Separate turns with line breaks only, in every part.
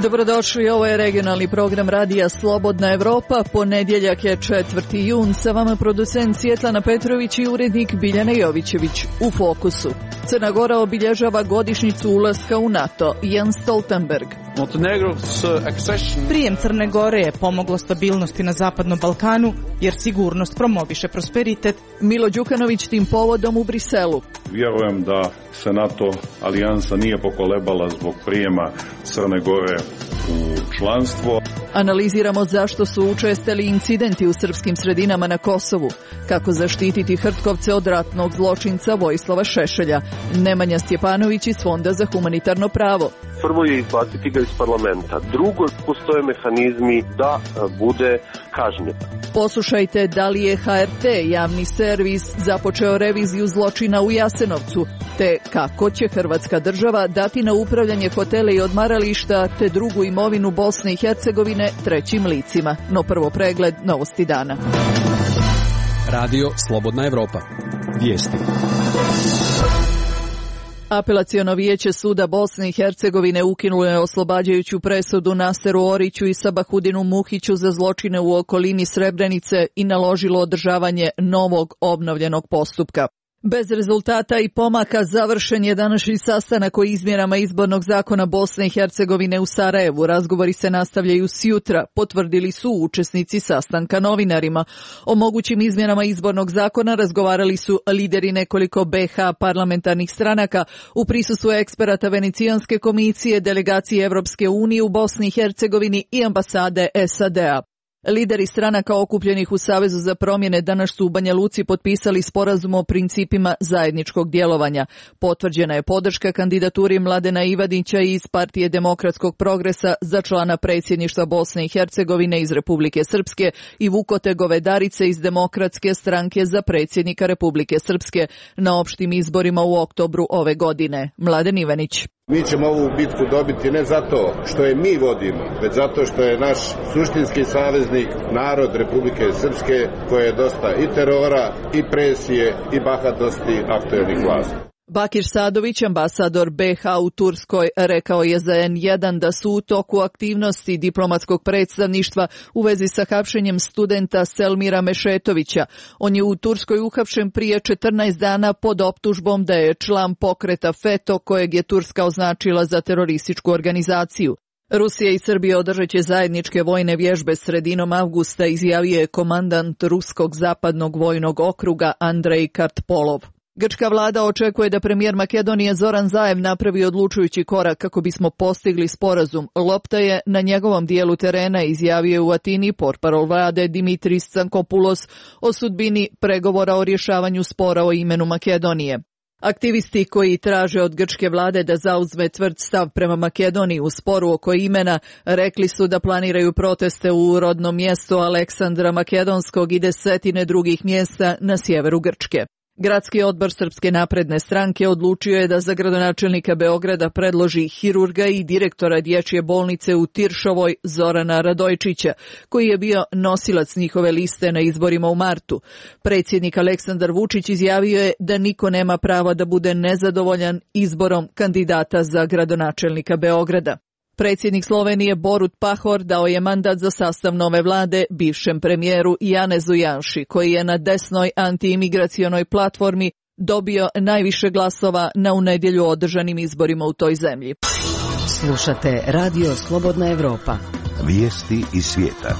Dobrodošli, ovo je regionalni program Radija Slobodna Evropa. Ponedjeljak je 4. jun, sa vama producent Svjetlana Petrović i urednik Biljana Jovićević. U fokusu. Crna Gora obilježava godišnjicu ulaska u NATO. Jens Stoltenberg.
Prijem Crne Gore je pomoglo stabilnosti na Zapadnom Balkanu, jer sigurnost promoviše prosperitet.
Milo Đukanović tim povodom u Briselu.
Vjerujem da se NATO alijansa nije pokolebala zbog prijema Crne Gore u članstvo.
Analiziramo zašto su učestali incidenti u srpskim sredinama na Kosovu, kako zaštititi Hrtkovce od ratnog zločinca Vojislava Šešelja. Nemanja Stjepanović iz Fonda za humanitarno pravo.
Prvo je izbaciti ga iz parlamenta. Drugo, postoje mehanizmi da bude kažnjen.
Poslušajte da li je HRT, javni servis, započeo reviziju zločina u Jasenovcu, te kako će Hrvatska država dati na upravljanje hotele i odmarališta te drugu imovinu Bosne i Hercegovine trećim licima. No prvo pregled novosti dana.
Radio Slobodna Evropa. Vijesti.
Apelaciono vijeće suda Bosne i Hercegovine ukinulo je oslobađajuću presudu Naseru Oriću i Sabahudinu Muhiću za zločine u okolini Srebrenice i naložilo održavanje novog obnovljenog postupka. Bez rezultata i pomaka završen je današnji sastanak o izmjenama izbornog zakona Bosne i Hercegovine u Sarajevu. Razgovori se nastavljaju sjutra, potvrdili su učesnici sastanka novinarima. O mogućim izmjenama izbornog zakona razgovarali su lideri nekoliko BiH parlamentarnih stranaka u prisustvu eksperata Venecijanske komisije, delegacije Evropske unije u Bosni i Hercegovini i ambasade SAD-a. Lideri stranaka okupljenih u Savezu za promjene danas su u Banja Luci potpisali sporazum o principima zajedničkog djelovanja. Potvrđena je podrška kandidaturi Mladena Ivanića iz Partije demokratskog progresa za člana predsjedništva Bosne i Hercegovine iz Republike Srpske i Vukote Govedarice iz Demokratske stranke za predsjednika Republike Srpske na opštim izborima u oktobru ove godine. Mladen Ivanić.
Mi ćemo ovu bitku dobiti ne zato što je mi vodimo, već zato što je naš suštinski saveznik narod Republike Srpske, koje je dosta i terora, i presije, i bahatosti aktuelnih vlasti.
Bakir Sadović, ambasador BiH u Turskoj, rekao je za N1 da su u toku aktivnosti diplomatskog predstavništva u vezi sa hapšenjem studenta Selmira Mešetovića. On je u Turskoj uhapšen prije 14 dana pod optužbom da je član pokreta FETO, kojeg je Turska označila za terorističku organizaciju. Rusija i Srbija održat će zajedničke vojne vježbe sredinom avgusta, izjavio je komandant Ruskog zapadnog vojnog okruga Andrej Kartpolov. Grčka vlada očekuje da premijer Makedonije Zoran Zaev napravi odlučujući korak kako bismo postigli sporazum. Lopta je na njegovom dijelu terena, izjavio je u Atini portparol vlade Dimitris Tsankopoulos o sudbini pregovora o rješavanju spora o imenu Makedonije. Aktivisti koji traže od grčke vlade da zauzme tvrd stav prema Makedoniji u sporu oko imena rekli su da planiraju proteste u rodnom mjestu Aleksandra Makedonskog i desetine drugih mjesta na sjeveru Grčke. Gradski odbor Srpske napredne stranke odlučio je da za gradonačelnika Beograda predloži hirurga i direktora dječje bolnice u Tiršovoj Zorana Radojčića, koji je bio nosilac njihove liste na izborima u martu. Predsjednik Aleksandar Vučić izjavio je da niko nema prava da bude nezadovoljan izborom kandidata za gradonačelnika Beograda. Predsjednik Slovenije Borut Pahor dao je mandat za sastav nove vlade bivšem premijeru Janezu Janši, koji je na desnoj antiimigracionoj platformi dobio najviše glasova na u nedjelju održanim izborima u toj zemlji.
Slušate Radio Slobodna Evropa.
Vijesti iz svijeta.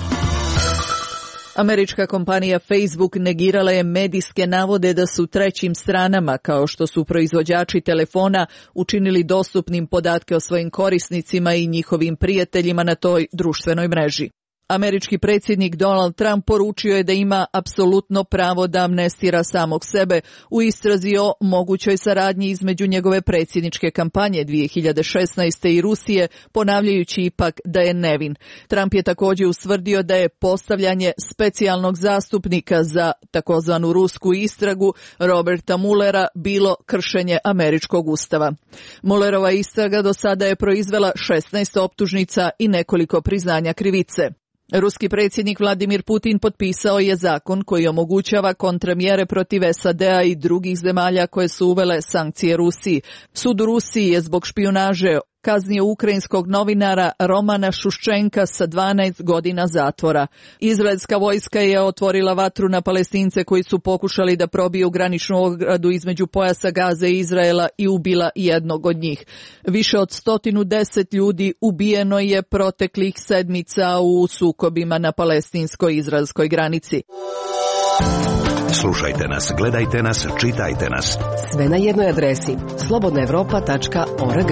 Američka kompanija Facebook negirala je medijske navode da su trećim stranama, kao što su proizvođači telefona, učinili dostupnim podatke o svojim korisnicima i njihovim prijateljima na toj društvenoj mreži. Američki predsjednik Donald Trump poručio je da ima apsolutno pravo da amnestira samog sebe u istrazi o mogućoj saradnji između njegove predsjedničke kampanje 2016. i Rusije, ponavljajući ipak da je nevin. Trump je također ustvrdio da je postavljanje specijalnog zastupnika za takozvanu rusku istragu Roberta Muellera bilo kršenje američkog ustava. Muellerova istraga do sada je proizvela 16 optužnica i nekoliko priznanja krivice. Ruski predsjednik Vladimir Putin potpisao je zakon koji omogućava kontramjere protiv SAD-a i drugih zemalja koje su uvele sankcije Rusiji. Sud u Rusiji je zbog špijunaže kaznio ukrajinskog novinara Romana Šuščenka sa 12 godina zatvora. Izraelska vojska je otvorila vatru na Palestince koji su pokušali da probiju graničnu ogradu između pojasa Gaze i Izraela i ubila jednog od njih. Više od 110 ljudi ubijeno je proteklih sedmica u sukobima na palestinsko-izraelskoj granici.
Slušajte nas, gledajte nas, čitajte nas.
Sve na jednoj adresi slobodnaevropa.org.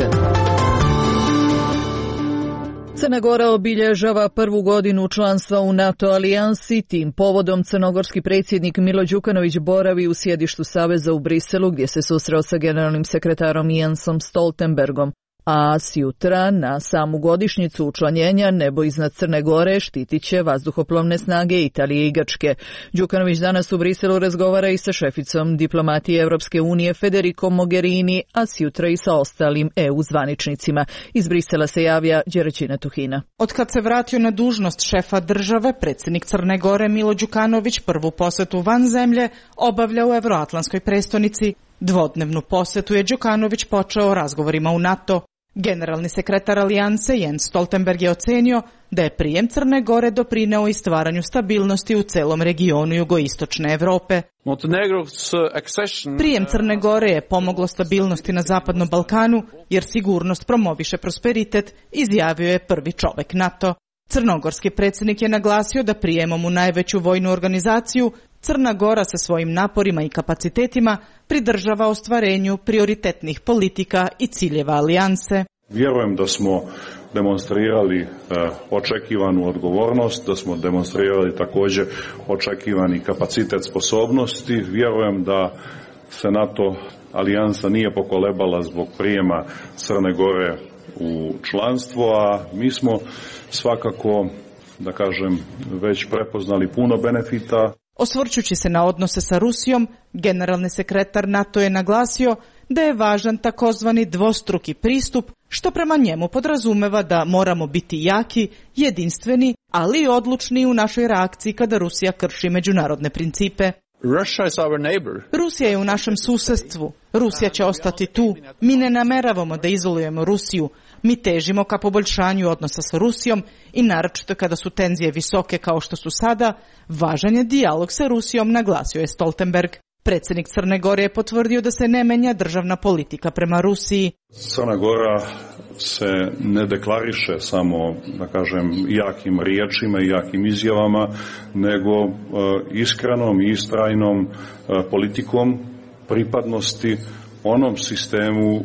Crna Gora obilježava prvu godinu članstva u NATO alijansi. Tim povodom crnogorski predsjednik Milo Đukanović boravi u sjedištu Saveza u Briselu, gdje se susreo sa generalnim sekretarom Jensom Stoltenbergom. A sjutra, na samu godišnjicu učlanjenja, nebo iznad Crne Gore štitit će vazduhoplovne snage Italije i Grčke. Đukanović danas u Briselu razgovara i sa šeficom diplomatije Europske unije Federico Mogherini, a sjutra i sa ostalim EU zvaničnicima. Iz Brisela se javlja Đeraćina Tuhina.
Otkad se vratio na dužnost šefa države, predsjednik Crne Gore Milo Đukanović prvu posjetu van zemlje obavlja u Evroatlantskoj prestonici. Dvodnevnu posjetu je Đukanović počeo razgovorima u NATO. Generalni sekretar alijanse Jens Stoltenberg je ocenio da je prijem Crne Gore doprineo i stvaranju stabilnosti u celom regionu jugoistočne Europe. Prijem Crne Gore je pomoglo stabilnosti na Zapadnom Balkanu, jer sigurnost promoviše prosperitet, izjavio je prvi čovek NATO. Crnogorski predsjednik je naglasio da prijemom u najveću vojnu organizaciju Crna Gora sa svojim naporima i kapacitetima pridržava ostvarenju prioritetnih politika i ciljeva alijanse.
Vjerujem da smo demonstrirali očekivanu odgovornost, da smo demonstrirali također očekivani kapacitet sposobnosti. Vjerujem da se NATO alijansa nije pokolebala zbog prijema Crne Gore u članstvo, a mi smo svakako, da kažem, već prepoznali puno benefita.
Osvrćući se na odnose sa Rusijom, generalni sekretar NATO je naglasio da je važan takozvani dvostruki pristup, što prema njemu podrazumeva da moramo biti jaki, jedinstveni, ali i odlučni u našoj reakciji kada Rusija krši međunarodne principe. Rusija je u našem susjedstvu. Rusija će ostati tu. Mi ne nameravamo da izolujemo Rusiju. Mi težimo ka poboljšanju odnosa sa Rusijom i naročito kada su tenzije visoke kao što su sada, važan je dijalog sa Rusijom, naglasio je Stoltenberg. Predsjednik Crne Gore je potvrdio da se ne menja državna politika prema Rusiji.
Crna Gora se ne deklariše samo, da kažem, jakim riječima i jakim izjavama, nego iskrenom i istrajnom politikom pripadnosti onom sistemu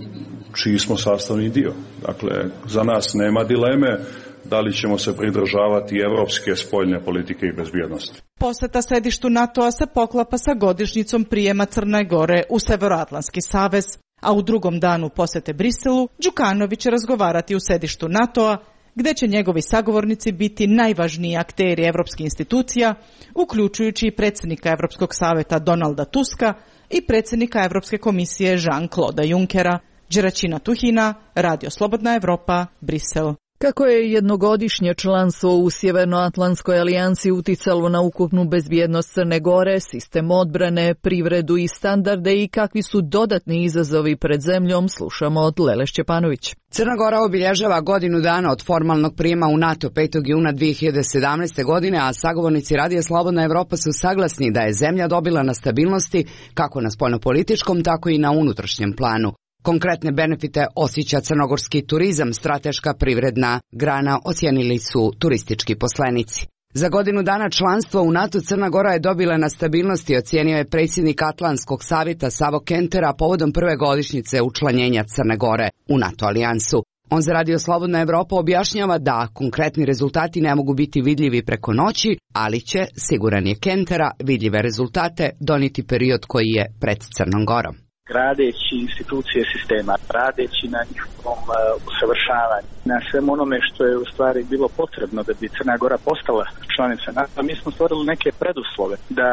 čiji smo sastavni dio. Dakle, za nas nema dileme da li ćemo se pridržavati evropske spoljne politike i bezbjednosti.
Posjeta sedištu NATO-a se poklapa sa godišnjicom prijema Crne Gore u Severoatlantski savez, a u drugom danu posjete Briselu Đukanović će razgovarati u sedištu NATO-a, gdje će njegovi sagovornici biti najvažniji akteri evropskih institucija, uključujući i predsjednika Europskog savjeta Donalda Tuska i predsjednika Europske komisije Jean-Claude Junckera. Đeraćina Tuhina, Radio Slobodna Evropa, Brisel.
Kako je jednogodišnje članstvo u Sjevernoatlantskoj alijansi uticalo na ukupnu bezbjednost Crne Gore, sistem odbrane, privredu i standarde i kakvi su dodatni izazovi pred zemljom, slušamo od Lele Šćepanović.
Crna Gora obilježava godinu dana od formalnog prijema u NATO 5. juna 2017. godine, a sagovornici Radija Slobodna Evropa su saglasni da je zemlja dobila na stabilnosti kako na spoljnopolitičkom, tako i na unutrašnjem planu. Konkretne benefite osjeća crnogorski turizam, strateška privredna grana, ocijenili su turistički poslenici. Za godinu dana članstva u NATO Crna Gora je dobila na stabilnosti, ocijenio je predsjednik Atlantskog savjeta Savo Kentera povodom prve godišnjice učlanjenja Crne Gore u NATO alijansu. On za Radio Slobodna Evropa objašnjava da konkretni rezultati ne mogu biti vidljivi preko noći, ali će, siguran je Kentera, vidljive rezultate donijeti period koji je pred Crnom Gorom.
gradeći institucije sistema, radeći na njihovom usavršavanju, na svem onome što je u stvari bilo potrebno da bi Crna Gora postala članica NATO. Mi smo stvorili neke preduslove da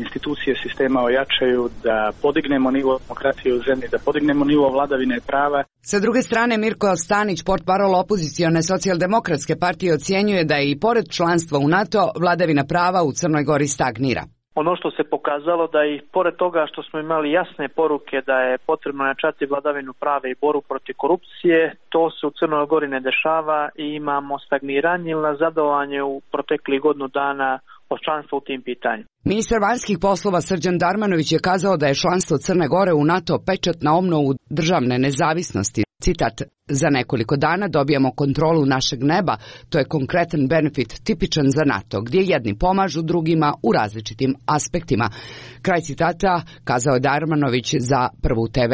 institucije sistema ojačaju, da podignemo nivo demokratije u zemlji, da podignemo nivo vladavine prava.
Sa druge strane, Mirko Stanić, portparol opozicione socijaldemokratske partije, ocjenjuje da je i pored članstva u NATO vladavina prava u Crnoj Gori stagnira.
Ono što se pokazalo da i pored toga što smo imali jasne poruke da je potrebno jačati vladavinu prava i boru protiv korupcije, to se u Crnoj Gori ne dešava i imamo stagniranje ili nazadovanje u proteklih godinu dana od članstva u tim pitanju.
Ministar vanjskih poslova Srđan Darmanović je kazao da je članstvo Crne Gore u NATO pečat na obnovu državne nezavisnosti. Citat: za nekoliko dana dobijamo kontrolu našeg neba, to je konkretan benefit tipičan za NATO, gdje jedni pomažu drugima u različitim aspektima. Kraj citata kazao je Darmanović za Prvu TV.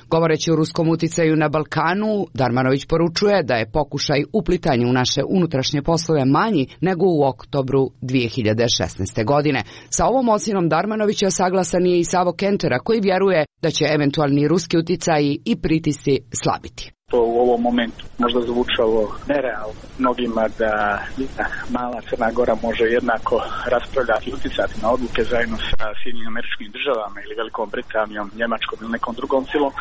Govoreći o ruskom uticaju na Balkanu, Darmanović poručuje da je pokušaj uplitanja u naše unutrašnje poslove manji nego u oktobru 2016. godine. Sa ovom ocjenom Darmanovića saglasan je i Savo Kentera, koji vjeruje da će eventualni ruski uticaji i pritisci slabiti.
To u ovom momentu možda zvučalo nerealno mnogima da mala Crna Gora može jednako raspravljati i uticati na odluke zajedno sa Sjedinjenim Američkim Državama ili Velikom Britanijom, Njemačkom ili nekom drugom silom.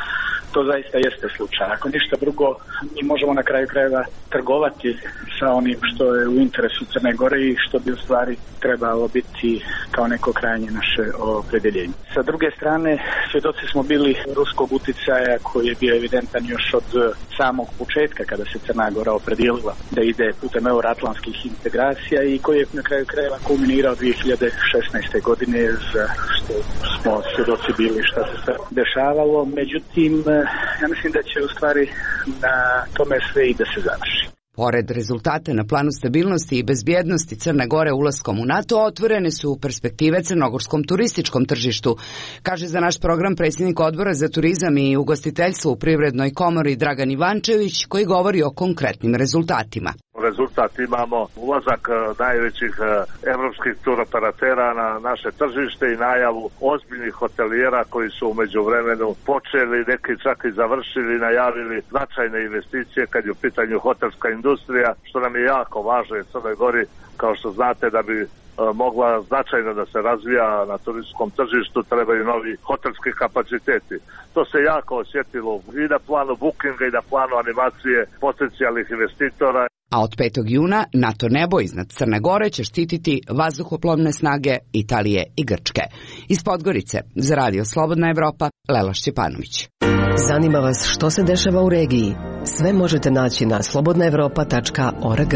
To zaista jeste slučaj. Ako ništa drugo, mi možemo na kraju krajeva trgovati sa onim što je u interesu Crne Gore i što bi u stvari trebalo biti kao neko krajnje naše opredjeljenje. Sa druge strane, svjedoci smo bili ruskog uticaja koji je bio evidentan još od samog početka kada se Crna Gora opredijelila da ide putem euroatlantskih integracija i koji je na kraju krajeva kulminirao 2016. godine, za što smo svjedoci bili šta se sve dešavalo. Međutim, ja mislim da će u stvari na tome sve i da se završi.
Pored rezultata na planu stabilnosti i bezbjednosti Crne Gore ulaskom u NATO, otvorene su perspektive crnogorskom turističkom tržištu, kaže za naš program predsjednik Odbora za turizam i ugostiteljstvo u Privrednoj komori Dragan Ivančević, koji govori o konkretnim rezultatima.
Rezultat imamo ulazak najvećih evropskih turoperatera na naše tržište i najavu ozbiljnih hotelijera koji su u međuvremenu počeli, neki čak i završili, najavili značajne investicije kad je u pitanju hotelska industrija, što nam je jako važno u Crnoj Gori, kao što znate, da bi mogla značajno da se razvija na turističkom tržištu, trebaju novi hotelski kapaciteti. To se jako osjetilo i na planu bookinga i na planu animacije potencijalnih investitora.
A od 5. juna NATO nebo iznad Crne Gore će štititi vazduhoplovne snage Italije i Grčke. Iz Podgorice, za Radio Slobodna Evropa, Lela Šćepanović.
Zanima vas što se dešava u regiji? Sve možete naći na slobodnaevropa.org.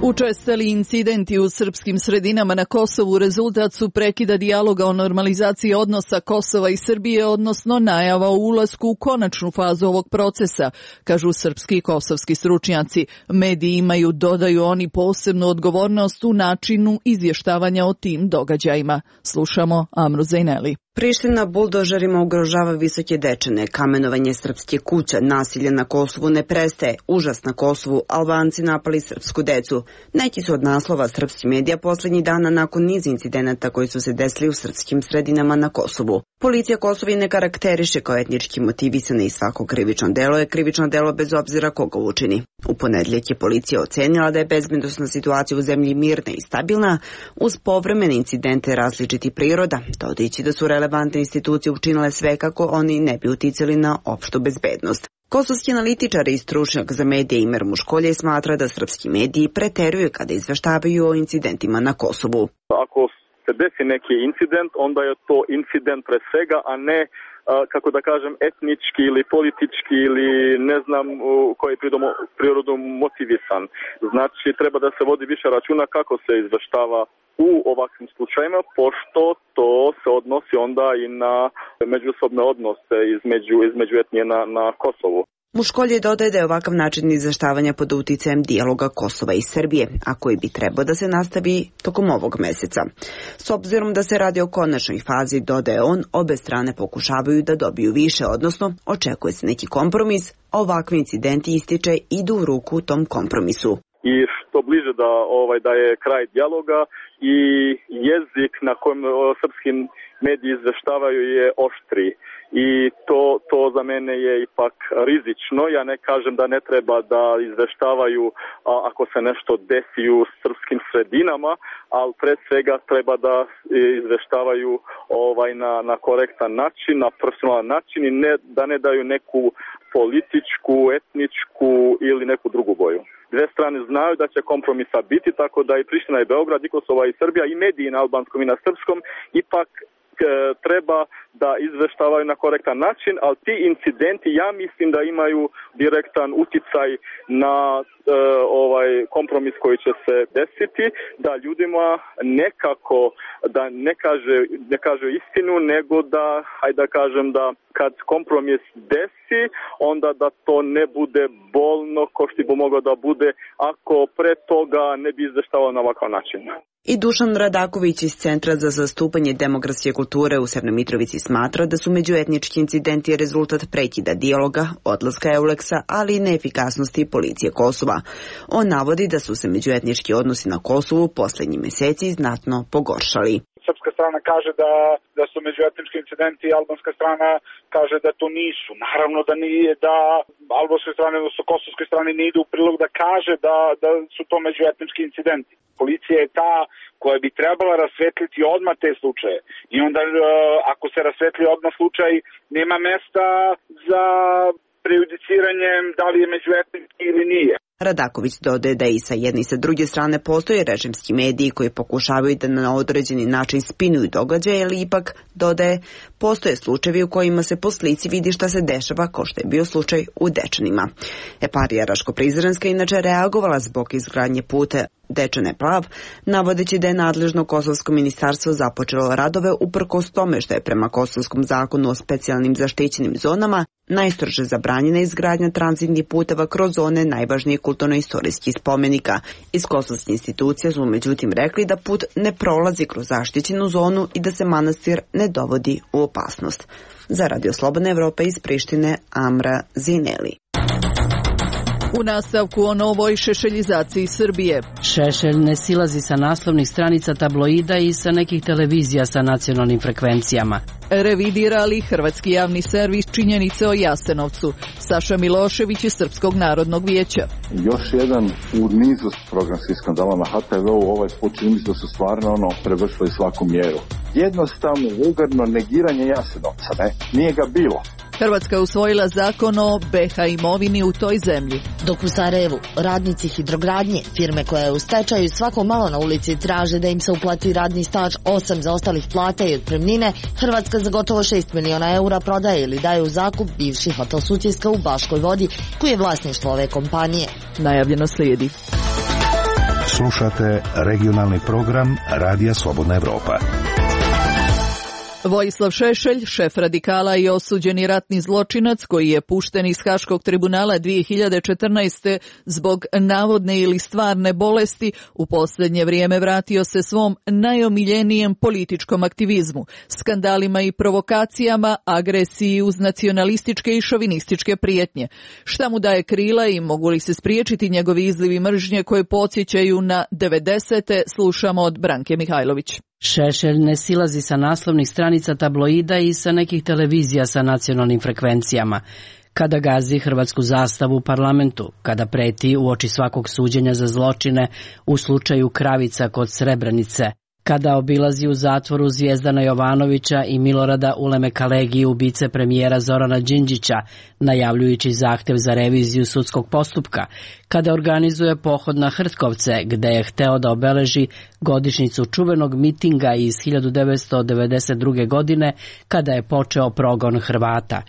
Učestali incidenti u srpskim sredinama na Kosovu rezultat su prekida dijaloga o normalizaciji odnosa Kosova i Srbije, odnosno najava o ulasku u konačnu fazu ovog procesa, kažu srpski i kosovski stručnjaci. Mediji imaju, dodaju oni, posebnu odgovornost u načinu izvještavanja o tim događajima. Slušamo Amru Zejneli.
Priština buldožerima ugrožava Visoke Dečane, kamenovanje srpske kuće, nasilje na Kosovu ne prestaje, užas na Kosovu, Albanci napali srpsku decu. Neki su od naslova srpskih medija posljednjih dana nakon niza incidenata koji su se desili u srpskim sredinama na Kosovu. Policija Kosovo ne karakteriše kao etnički motivisana i svako krivično delo je krivično delo bez obzira koga učini. U ponedjeljak je policija ocenila da je bezbednosna situacija u zemlji mirna i stabilna, uz povremene incidente različitih priroda, dodajući da su relevantne institucije učinile sve kako oni ne bi uticali na opštu bezbednost. Kosovski analitičar i stručnjak za medije Imer Muškolje smatra da srpski mediji preteruju kada izveštavaju o incidentima na Kosovu.
Ako se desi neki incident, onda je to incident pre svega, a ne kako da kažem, etnički ili politički ili ne znam koji je prirodom motivisan. Znači, treba da se vodi više računa kako se izveštava u ovakvim slučajima, pošto to se odnosi onda i na međusobne odnose između etnije na Kosovu.
Muškolje dodaje da je ovakav način izveštavanja pod uticajem dijaloga Kosova i Srbije, a koji bi trebao da se nastavi tokom ovog meseca. S obzirom da se radi o konačnoj fazi, dodaje on, obe strane pokušavaju da dobiju više, odnosno očekuje se neki kompromis, a ovakvi incidenti ističe idu u ruku tom kompromisu.
I to bliže da je kraj dijaloga i jezik na kojem srpski mediji izveštavaju je oštri. I to za mene je ipak rizično. Ja ne kažem da ne treba da izveštavaju ako se nešto desi u srpskim sredinama, ali pred svega treba da izveštavaju na korektan način, na profesionalan način i da ne daju neku političku, etničku ili neku drugu boju. Dve strane znaju da će kompromisa biti, tako da i Priština i Beograd, i Kosovo i Srbija i mediji na albanskom i na srpskom ipak treba da izveštavaju na korektan način, ali ti incidenti ja mislim da imaju direktan uticaj na kompromis koji će se desiti, da ljudima nekako da ne kaže istinu, nego da, hajde da kažem da kad kompromis desi, onda da to ne bude bolno ko što bi moglo da bude ako pre toga ne bi izveštavao na ovakav način.
I Dušan Radaković iz Centra za zastupanje demografske kulture u Severnoj Mitrovici smatra da su međuetnički incidenti rezultat prekida dijaloga, odlaska Euleksa, ali i neefikasnosti policije Kosova. On navodi da su se međuetnički odnosi na Kosovu posljednjih mjeseci znatno pogoršali.
Srpska strana kaže da su međuetnički incidenti, albanska strana kaže da to nisu. Naravno da nije, da albanskoj strani, odnosno kosovskoj strani ne ide u prilog da kaže da su to međuetnički incidenti. Policija je ta koja bi trebala rasvetliti odmah te slučaje. I onda ako se rasvetli odmah slučaj, nema mesta za prejudiciranjem da li je međuetnički ili nije.
Radaković dodaje da i sa jedne i sa druge strane postoje režimski mediji koji pokušavaju da na određeni način spinuju događaje, ali ipak, dodaje, postoje slučajevi u kojima se po slici vidi šta se dešava, kao što je bio slučaj u Dečanima. Eparija Raško-Prizrenska inače reagovala zbog izgradnje puta Dečane-Plav, navodeći da je nadležno kosovsko ministarstvo započelo radove uprkos tome što je prema kosovskom zakonu o specijalnim zaštićenim zonama najstrože zabranjena izgradnja tranzitnih puteva kroz zone najvažnijih kulturno-istorijskih spomenika. Iz kosovskih institucija su međutim rekli da put ne prolazi kroz zaštićenu zonu i da se manastir ne dovodi u opasnost. Za Radio Slobodna Evropa iz Prištine, Amra Zineli.
U nastavku o novoj šešeljizaciji Srbije.
Šešelj ne silazi sa naslovnih stranica tabloida i sa nekih televizija sa nacionalnim frekvencijama.
Revidira li hrvatski javni servis činjenice o Jasenovcu? Saša Milošević iz Srpskog narodnog vijeća.
Još jedan u nizu programskih skandala na HTV-u, ovaj put čini mi se da su stvarno prevršili svaku mjeru. Jednostavno, vulgarno negiranje Jasenovca, nije ga bilo.
Hrvatska je usvojila zakon o BH imovini u toj zemlji.
Dok u Sarajevu radnici hidrogradnje, firme koja je u stečaju, svako malo na ulici traže da im se uplati radni staž 8 zaostalih plata i otpremnine, Hrvatska za gotovo 6 miliona eura prodaje ili daje u zakup bivši hotel Sutjeska u Baškoj Vodi, koji je vlasništvo ove kompanije.
Najavljeno slijedi.
Slušate regionalni program Radija Slobodna Evropa.
Vojislav Šešelj, šef radikala i osuđeni ratni zločinac koji je pušten iz Haškog tribunala 2014. zbog navodne ili stvarne bolesti, u posljednje vrijeme vratio se svom najomiljenijem političkom aktivizmu, skandalima i provokacijama, agresiji uz nacionalističke i šovinističke prijetnje. Šta mu daje krila i mogu li se spriječiti njegovi izlivi mržnje koje podsjećaju na 90. slušamo od Branke Mihajlović.
Šešelj ne silazi sa naslovnih stranica tabloida i sa nekih televizija sa nacionalnim frekvencijama. Kada gazi hrvatsku zastavu u parlamentu, kada preti uoči svakog suđenja za zločine u slučaju Kravica kod Srebrenice, kada obilazi u zatvoru Zvijezdana Jovanovića i Milorada Ulemekalegi, ubice premijera Zorana Đinđića, najavljujući zahtjev za reviziju sudskog postupka, kada organizuje pohod na Hrtkovce, gde je hteo da obeleži godišnjicu čuvenog mitinga iz 1992. godine, kada je počeo progon Hrvata,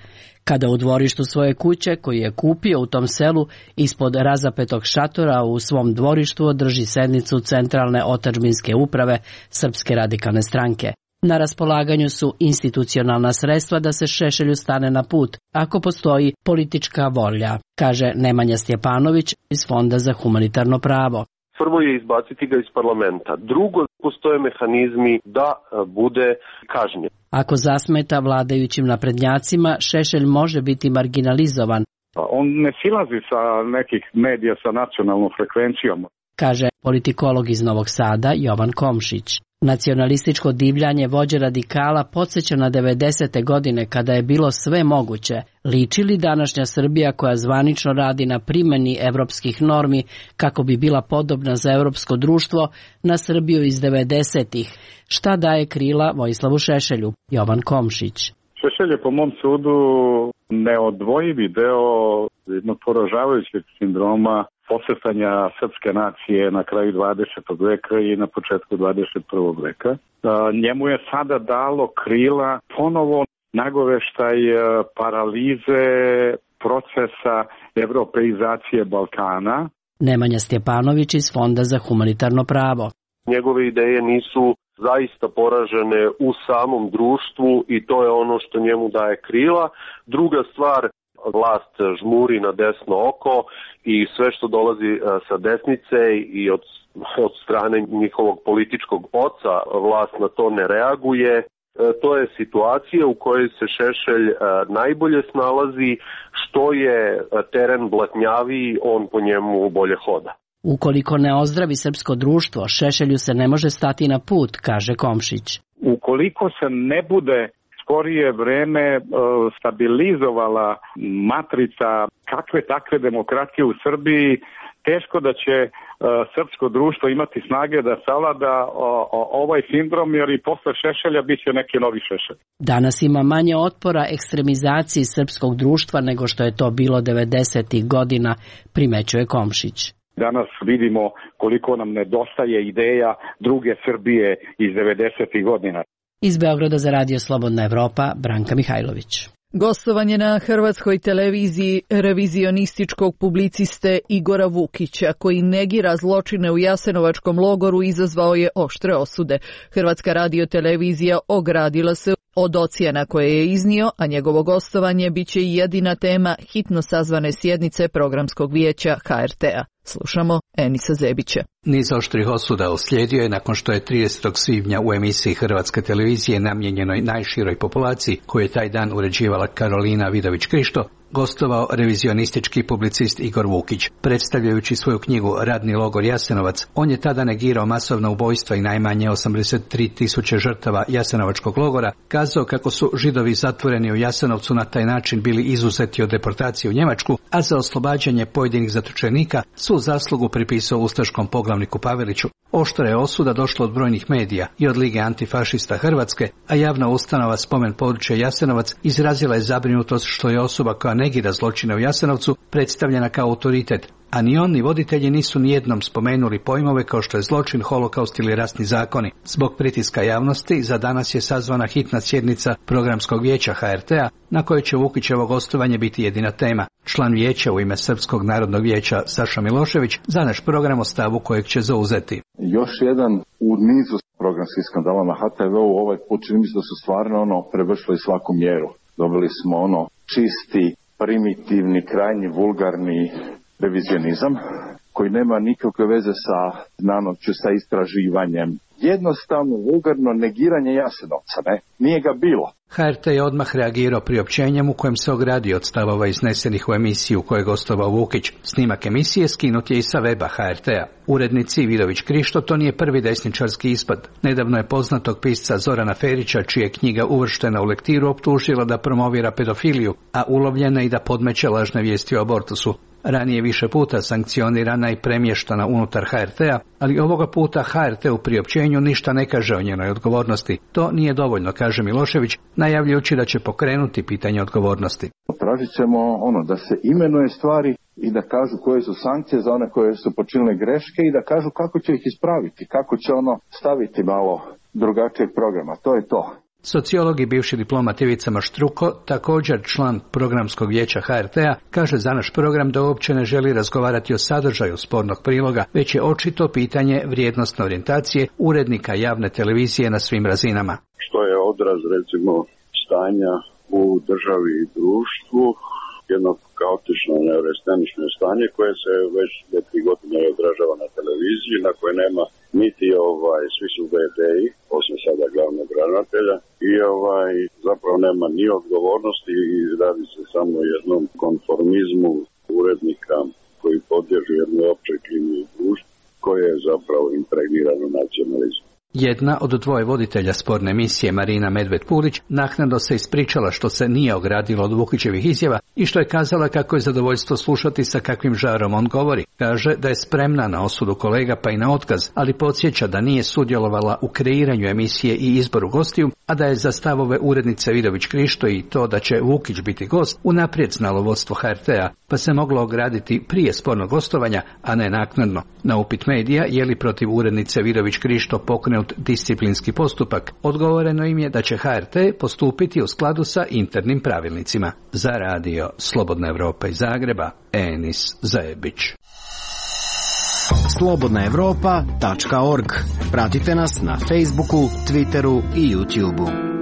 kada u dvorištu svoje kuće, koju je kupio u tom selu, ispod razapetog šatora u svom dvorištu održi sednicu Centralne otadžbinske uprave Srpske radikalne stranke. Na raspolaganju su institucionalna sredstva da se Šešelju stane na put, ako postoji politička volja, kaže Nemanja Stjepanović iz Fonda za humanitarno pravo.
Prvo je izbaciti ga iz parlamenta. Drugo, postoje mehanizmi da bude kažnjen.
Ako zasmeta vladajućim naprednjacima, Šešelj može biti marginalizovan.
On ne silazi sa nekih medija sa nacionalnom frekvencijom.
kaže politikolog iz Novog Sada Jovan Komšić. Nacionalističko divljanje vođe radikala podsjeća na 90. godine kada je bilo sve moguće. Liči li današnja Srbija koja zvanično radi na primjeni evropskih normi kako bi bila podobna za evropsko društvo na Srbiju iz 90-ih? Šta daje krila Vojislavu Šešelju? Jovan Komšić.
Šešelj je po mom sudu neodvojivi deo jednog poražavajućeg sindroma posretanja srpske nacije na kraju 20. veka i na početku 21. veka. Njemu je sada dalo krila ponovo nagoveštaj paralize procesa evropeizacije Balkana.
Nemanja Stjepanović iz Fonda za humanitarno pravo.
Njegove ideje nisu zaista poražene u samom društvu i to je ono što njemu daje krila. Druga stvar, vlast žmuri na desno oko i sve što dolazi sa desnice i od strane njihovog političkog oca vlast na to ne reaguje. To je situacija u kojoj se Šešelj najbolje snalazi, što je teren blatnjaviji, on po njemu bolje hoda.
Ukoliko ne ozdravi srpsko društvo, Šešelju se ne može stati na put, kaže Komšić.
Ukoliko se ne bude skorije vreme stabilizovala matrica kakve takve demokratije u Srbiji, teško da će srpsko društvo imati snage da savlada ovaj sindrom, jer i posle Šešelja bit će neki novi Šešelj.
Danas ima manje otpora ekstremizaciji srpskog društva nego što je to bilo 90. godina, primećuje Komšić.
Danas vidimo koliko nam nedostaje ideja druge Srbije iz 90. godina.
Iz Beograda za Radio Slobodna Evropa, Branka Mihajlović.
Gostovanje na hrvatskoj televiziji revizionističkog publiciste Igora Vukića, koji negira zločine u Jasenovačkom logoru, izazvao je oštre osude. Hrvatska radiotelevizija ogradila se od ocjena koje je iznio, a njegovo gostovanje biće i jedina tema hitno sazvane sjednice Programskog vijeća HRT-a. Slušamo Enisa Zebića.
Niz oštrih osuda uslijedio je nakon što je 30. svibnja u emisiji Hrvatske televizije namijenjenoj najširoj populaciji, koju je taj dan uređivala Karolina Vidović-Krišto, gostovao revizionistički publicist Igor Vukić. Predstavljajući svoju knjigu Radni logor Jasenovac, on je tada negirao masovna ubojstva i najmanje 83.000 žrtava Jasenovačkog logora, kazao kako su Židovi zatvoreni u Jasenovcu na taj način bili izuzeti od deportacije u Njemačku, a za oslobađanje pojedinih zatočenika su zaslugu pripisao ustaškom poglavniku Paveliću. Oštra je osuda došla od brojnih medija i od Lige antifašista Hrvatske, a javna ustanova Spomen područja Jasenovac izrazila je zabrinutost što je osoba koja negira zločine u Jasenovcu predstavljena kao autoritet, a ni on ni voditelji nisu nijednom spomenuli pojmove kao što je zločin, holokaust ili rasni zakoni. Zbog pritiska javnosti za danas je sazvana hitna sjednica Programskog vijeća HRT-a na kojoj će Vukićevo gostovanje biti jedina tema. Član vijeća u ime Srpskog narodnog vijeća Saša Milošević za naš program o stavu kojeg će zauzeti.
Još jedan u nizu programskih skandala na HTV-u, ovaj put čini mi se da su stvarno prevršili svaku mjeru. Dobili smo čisti, primitivni, krajnji, vulgarni revizionizam koji nema nikakve veze sa znanošću, sa istraživanjem. Jednostavno, vulgarno negiranje Jasenovca, nije ga bilo.
HRT je odmah reagirao priopćenjem u kojem se ogradio od stavova iznesenih u emisiju u kojoj je gostovao Vukić. Snimak emisije skinut je i sa weba HRT-a. Urednici Vidović-Krišto to nije prvi desničarski ispad. Nedavno je poznatog pisca Zorana Ferića, čija je knjiga uvrštena u lektiru, optužila da promovira pedofiliju, a ulovljena i da podmeće lažne vijesti o abortusu. Ranije više puta sankcionirana i premještana unutar HRT-a, ali ovoga puta HRT u priopćenju ništa ne kaže o njenoj odgovornosti. To nije dovoljno, kaže Milošević, najavljujući da će pokrenuti pitanje odgovornosti.
Tražit ćemo da se imenuje stvari i da kažu koje su sankcije za one koje su počinile greške i da kažu kako će ih ispraviti, kako će staviti malo drugačijeg programa. To je to.
Sociolog i bivši diplomat Ivica Maštruko, također član Programskog vijeća HRT-a, kaže za naš program da uopće ne želi razgovarati o sadržaju spornog priloga, već je očito pitanje vrijednosne orijentacije urednika javne televizije na svim razinama.
Što je odraz, recimo, stanja u državi i društvu, jedno kaotično neurestenično stanje koje se već 2-3 godine odražava na televiziji, na koje nema niti svi su VD-i, osim sada glavnog ravnatelja, i zapravo nema ni odgovornosti i radi se samo o jednom konformizmu urednika koji podliježu jednoj općoj klimi u društvu, koje je zapravo impregnirano nacionalizmom.
Jedna od dvoje voditelja sporne emisije, Marina Medved-Pulić, naknadno se ispričala što se nije ogradila od Vukićevih izjava i što je kazala kako je zadovoljstvo slušati sa kakvim žarom on govori. Kaže da je spremna na osudu kolega pa i na otkaz, ali podsjeća da nije sudjelovala u kreiranju emisije i izboru gostiju, a da je za stavove urednice Vidović Krišto i to da će Vukić biti gost unaprijed znalo vodstvo HRT-a, pa se moglo ograditi prije spornog gostovanja, a ne naknadno. Na upit medija je li protiv urednice Vidović Krišto pokrenut disciplinski postupak, odgovoreno im je da će HRT postupiti u skladu sa internim pravilnicima. Za radio Slobodna Evropa iz Zagreba, Enis Zajebić.
slobodnaevropa.org. Pratite nas na Facebooku, Twitteru i YouTubeu.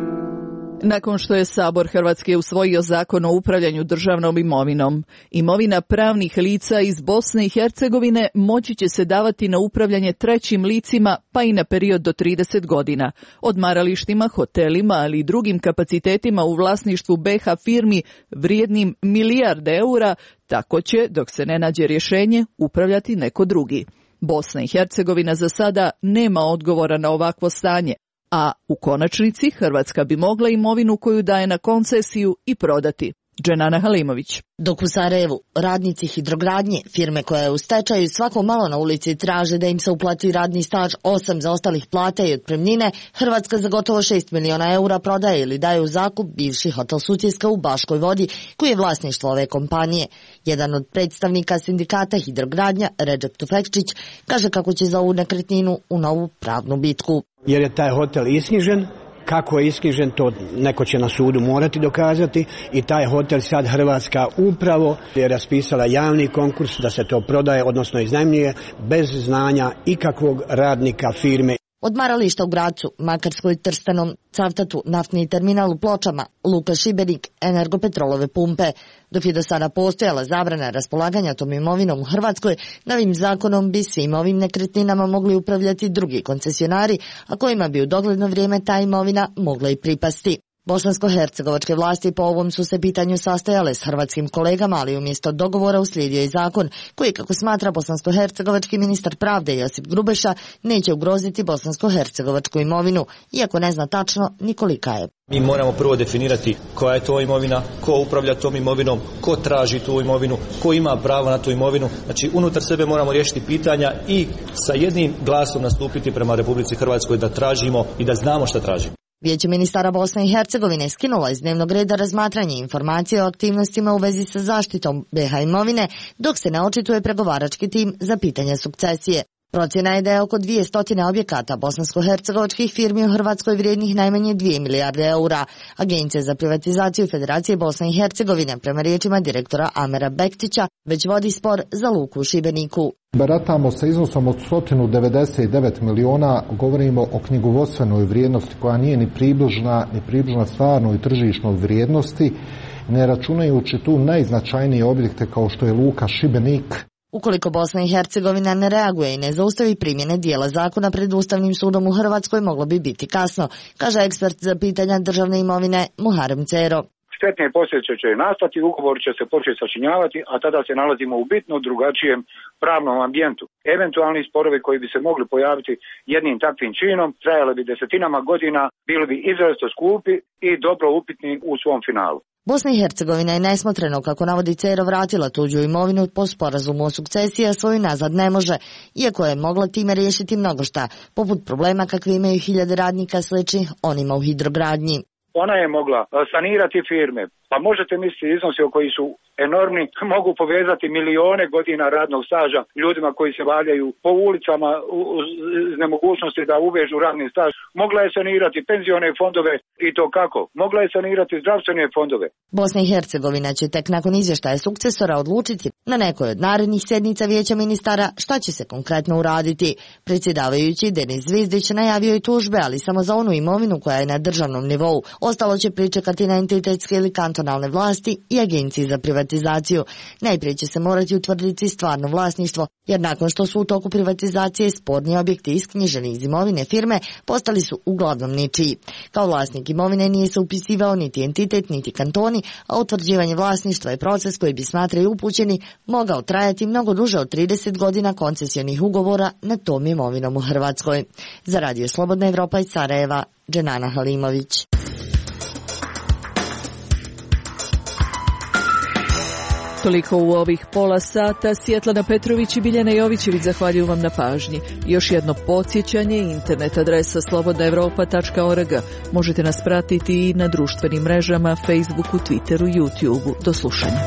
Nakon što je Sabor Hrvatske usvojio zakon o upravljanju državnom imovinom, imovina pravnih lica iz Bosne i Hercegovine moći će se davati na upravljanje trećim licima pa i na period do 30 godina. Odmaralištima, hotelima, ali i drugim kapacitetima u vlasništvu BiH firmi vrijednim milijarde eura, tako će, dok se ne nađe rješenje, upravljati neko drugi. Bosna i Hercegovina za sada nema odgovora na ovakvo stanje, a u konačnici Hrvatska bi mogla imovinu koju daje na koncesiju i prodati. Dženana Halimović.
Dok u Sarajevu radnici hidrogradnje, firme koja je u stečaju, svako malo na ulici traže da im se uplati radni staž 8 zaostalih plata i otpremnine, Hrvatska za gotovo 6 miliona eura prodaje ili daje u zakup bivši hotel Sutjeska u Baškoj Vodi, koji je vlasništvo ove kompanije. Jedan od predstavnika sindikata hidrogradnja, Redžep Tufekčić, kaže kako će za ovu nekretninu u novu pravnu bitku.
Jer je taj hotel isknjižen, kako je isknjižen to neko će na sudu morati dokazati i taj hotel sad Hrvatska upravo je raspisala javni konkurs da se to prodaje, odnosno iznajmljuje bez znanja ikakvog radnika firme.
Odmarališta u Gracu, Makarskoj, Trstenom, Cavtatu, naftni terminal u Pločama, Luka Šibenik, Energopetrolove pumpe. Dok je do sada postojala zabrana raspolaganja tom imovinom u Hrvatskoj, novim zakonom bi svim ovim nekretninama mogli upravljati drugi koncesionari, a kojima bi u dogledno vrijeme ta imovina mogla i pripasti. Bosansko-hercegovačke vlasti po ovom su se pitanju sastajale s hrvatskim kolegama, ali umjesto dogovora uslijedio je zakon koji, kako smatra bosansko-hercegovački ministar pravde Josip Grubeša, neće ugroziti bosansko-hercegovačku imovinu, iako ne zna tačno ni kolika je.
Mi moramo prvo definirati koja je to imovina, ko upravlja tom imovinom, ko traži tu imovinu, ko ima pravo na tu imovinu. Znači, unutar sebe moramo riješiti pitanja i sa jednim glasom nastupiti prema Republici Hrvatskoj da tražimo i da znamo šta tražimo.
Vijeće ministara Bosne i Hercegovine skinulo iz dnevnog reda razmatranje informacije o aktivnostima u vezi sa zaštitom BiH imovine, dok se ne očituje pregovarački tim za pitanje sukcesije. Procjena je da je oko 200 objekata bosansko-hercegovačkih firmi u Hrvatskoj vrijednih najmanje 2 milijarde eura. Agencija za privatizaciju Federacije Bosne i Hercegovine, prema riječima direktora Amera Bektića, već vodi spor za luku u Šibeniku.
Baratamo sa iznosom od 199 miliona, govorimo o knjigovodstvenoj vrijednosti koja nije ni približna stvarnoj tržišnoj vrijednosti, ne računajući tu najznačajnije objekte kao što je luka Šibenik.
Ukoliko Bosna i Hercegovina ne reaguje i ne zaustavi primjene dijela zakona pred Ustavnim sudom u Hrvatskoj, moglo bi biti kasno, kaže ekspert za pitanja državne imovine Muharem Cero.
Štetne posljedice će nastati, ugovor će se početi sačinjavati, a tada se nalazimo u bitno drugačijem pravnom ambijentu. Eventualni sporovi koji bi se mogli pojaviti jednim takvim činom trajali bi desetinama godina, bili bi izrazito skupi i dobro upitni u svom finalu.
Bosna i Hercegovina je nesmotreno, kako navodi Cero, vratila tuđu imovinu po sporazumu o sukcesiji, a svoju nazad ne može, iako je mogla time riješiti mnogo šta, poput problema kakve imaju hiljade radnika sličnih onima u hidrogradnji.
Ona je mogla sanirati firme, pa možete misliti iznosi koji su enormni, mogu povezati milione godina radnog staža ljudima koji se valjaju po ulicama uz nemogućnosti da uvežu radni staž. Mogla je sanirati penzione fondove i to kako? Mogla je sanirati zdravstvene fondove.
Bosna i Hercegovina će tek nakon izvještaja sukcesora odlučiti na nekoj od narednih sjednica Vijeća ministara šta će se konkretno uraditi. Predsjedavajući Denis Zvizdić najavio i tužbe, ali samo za onu imovinu koja je na državnom nivou. Ostalo će pričekati na entitetske ili kantonalne kantonalne vlasti i Agenciji za privatizaciju. Najprije će se morati utvrditi stvarno vlasništvo, jer nakon što su u toku privatizacije sporni objekti isknjiženi iz imovine firme, postali su uglavnom ničiji. Kao vlasnik imovine nije se upisivao niti entitet, niti kantoni, a utvrđivanje vlasništva je proces koji bi, smatraju upućeni, mogao trajati mnogo duže od 30 godina koncesijnih ugovora na tom imovinom u Hrvatskoj. Za Radio Slobodna Evropa iz Sarajeva, Dženana Halimović.
Toliko u ovih pola sata. Svjetlana Petrović i Biljana Jovićević zahvaljuju vam na pažnji. Još jedno podsjećanje, internet adresa slobodnaevropa.org. Možete nas pratiti i na društvenim mrežama, Facebooku, Twitteru, YouTubeu. Do slušanja.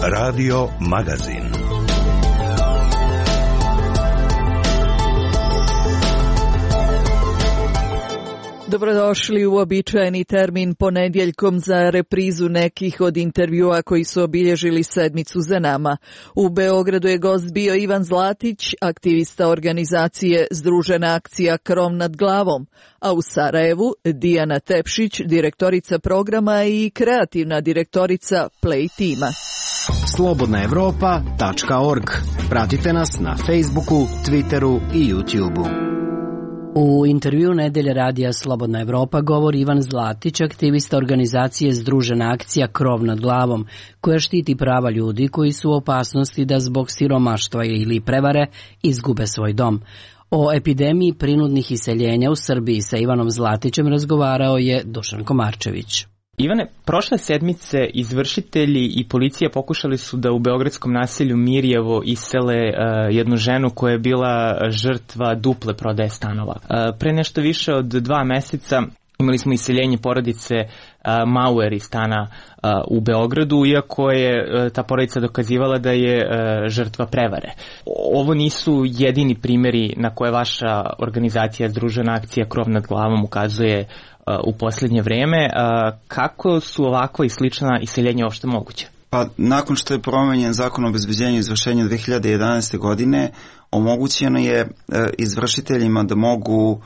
Radio Magazin.
Dobrodošli u uobičajeni termin ponedjeljkom za reprizu nekih od intervjua koji su obilježili sedmicu za nama. U Beogradu je gost bio Ivan Zlatić, aktivista organizacije Združena akcija Krov nad glavom, a u Sarajevu Dijana Tepšić, direktorica programa i kreativna direktorica Play tima.
Slobodnaevropa.org. Pratite nas na Facebooku, Twitteru i YouTubeu.
U intervju Nedelje radija Slobodna Evropa govori Ivan Zlatić, aktivista organizacije Združena akcija Krov nad glavom, koja štiti prava ljudi koji su u opasnosti da zbog siromaštva ili prevare izgube svoj dom. O epidemiji prinudnih iseljenja u Srbiji sa Ivanom Zlatićem razgovarao je Dušan Komarčević.
Ivane, prošle sedmice izvršitelji i policija pokušali su da u beogradskom naselju Mirjevo isele jednu ženu koja je bila žrtva duple prodaje stanova. Pre nešto više od 2 meseca imali smo iseljenje porodice Mauer iz stana u Beogradu, iako je ta porodica dokazivala da je žrtva prevare. Ovo nisu jedini primjeri na koje vaša organizacija Združena akcija Krov nad glavom ukazuje u posljednje vreme. Kako su ovakva i slična iseljenja uopšte moguće?
Pa nakon što je promenjen zakon o obezbeđenju i izvršenju 2011. godine, omogućeno je izvršiteljima da mogu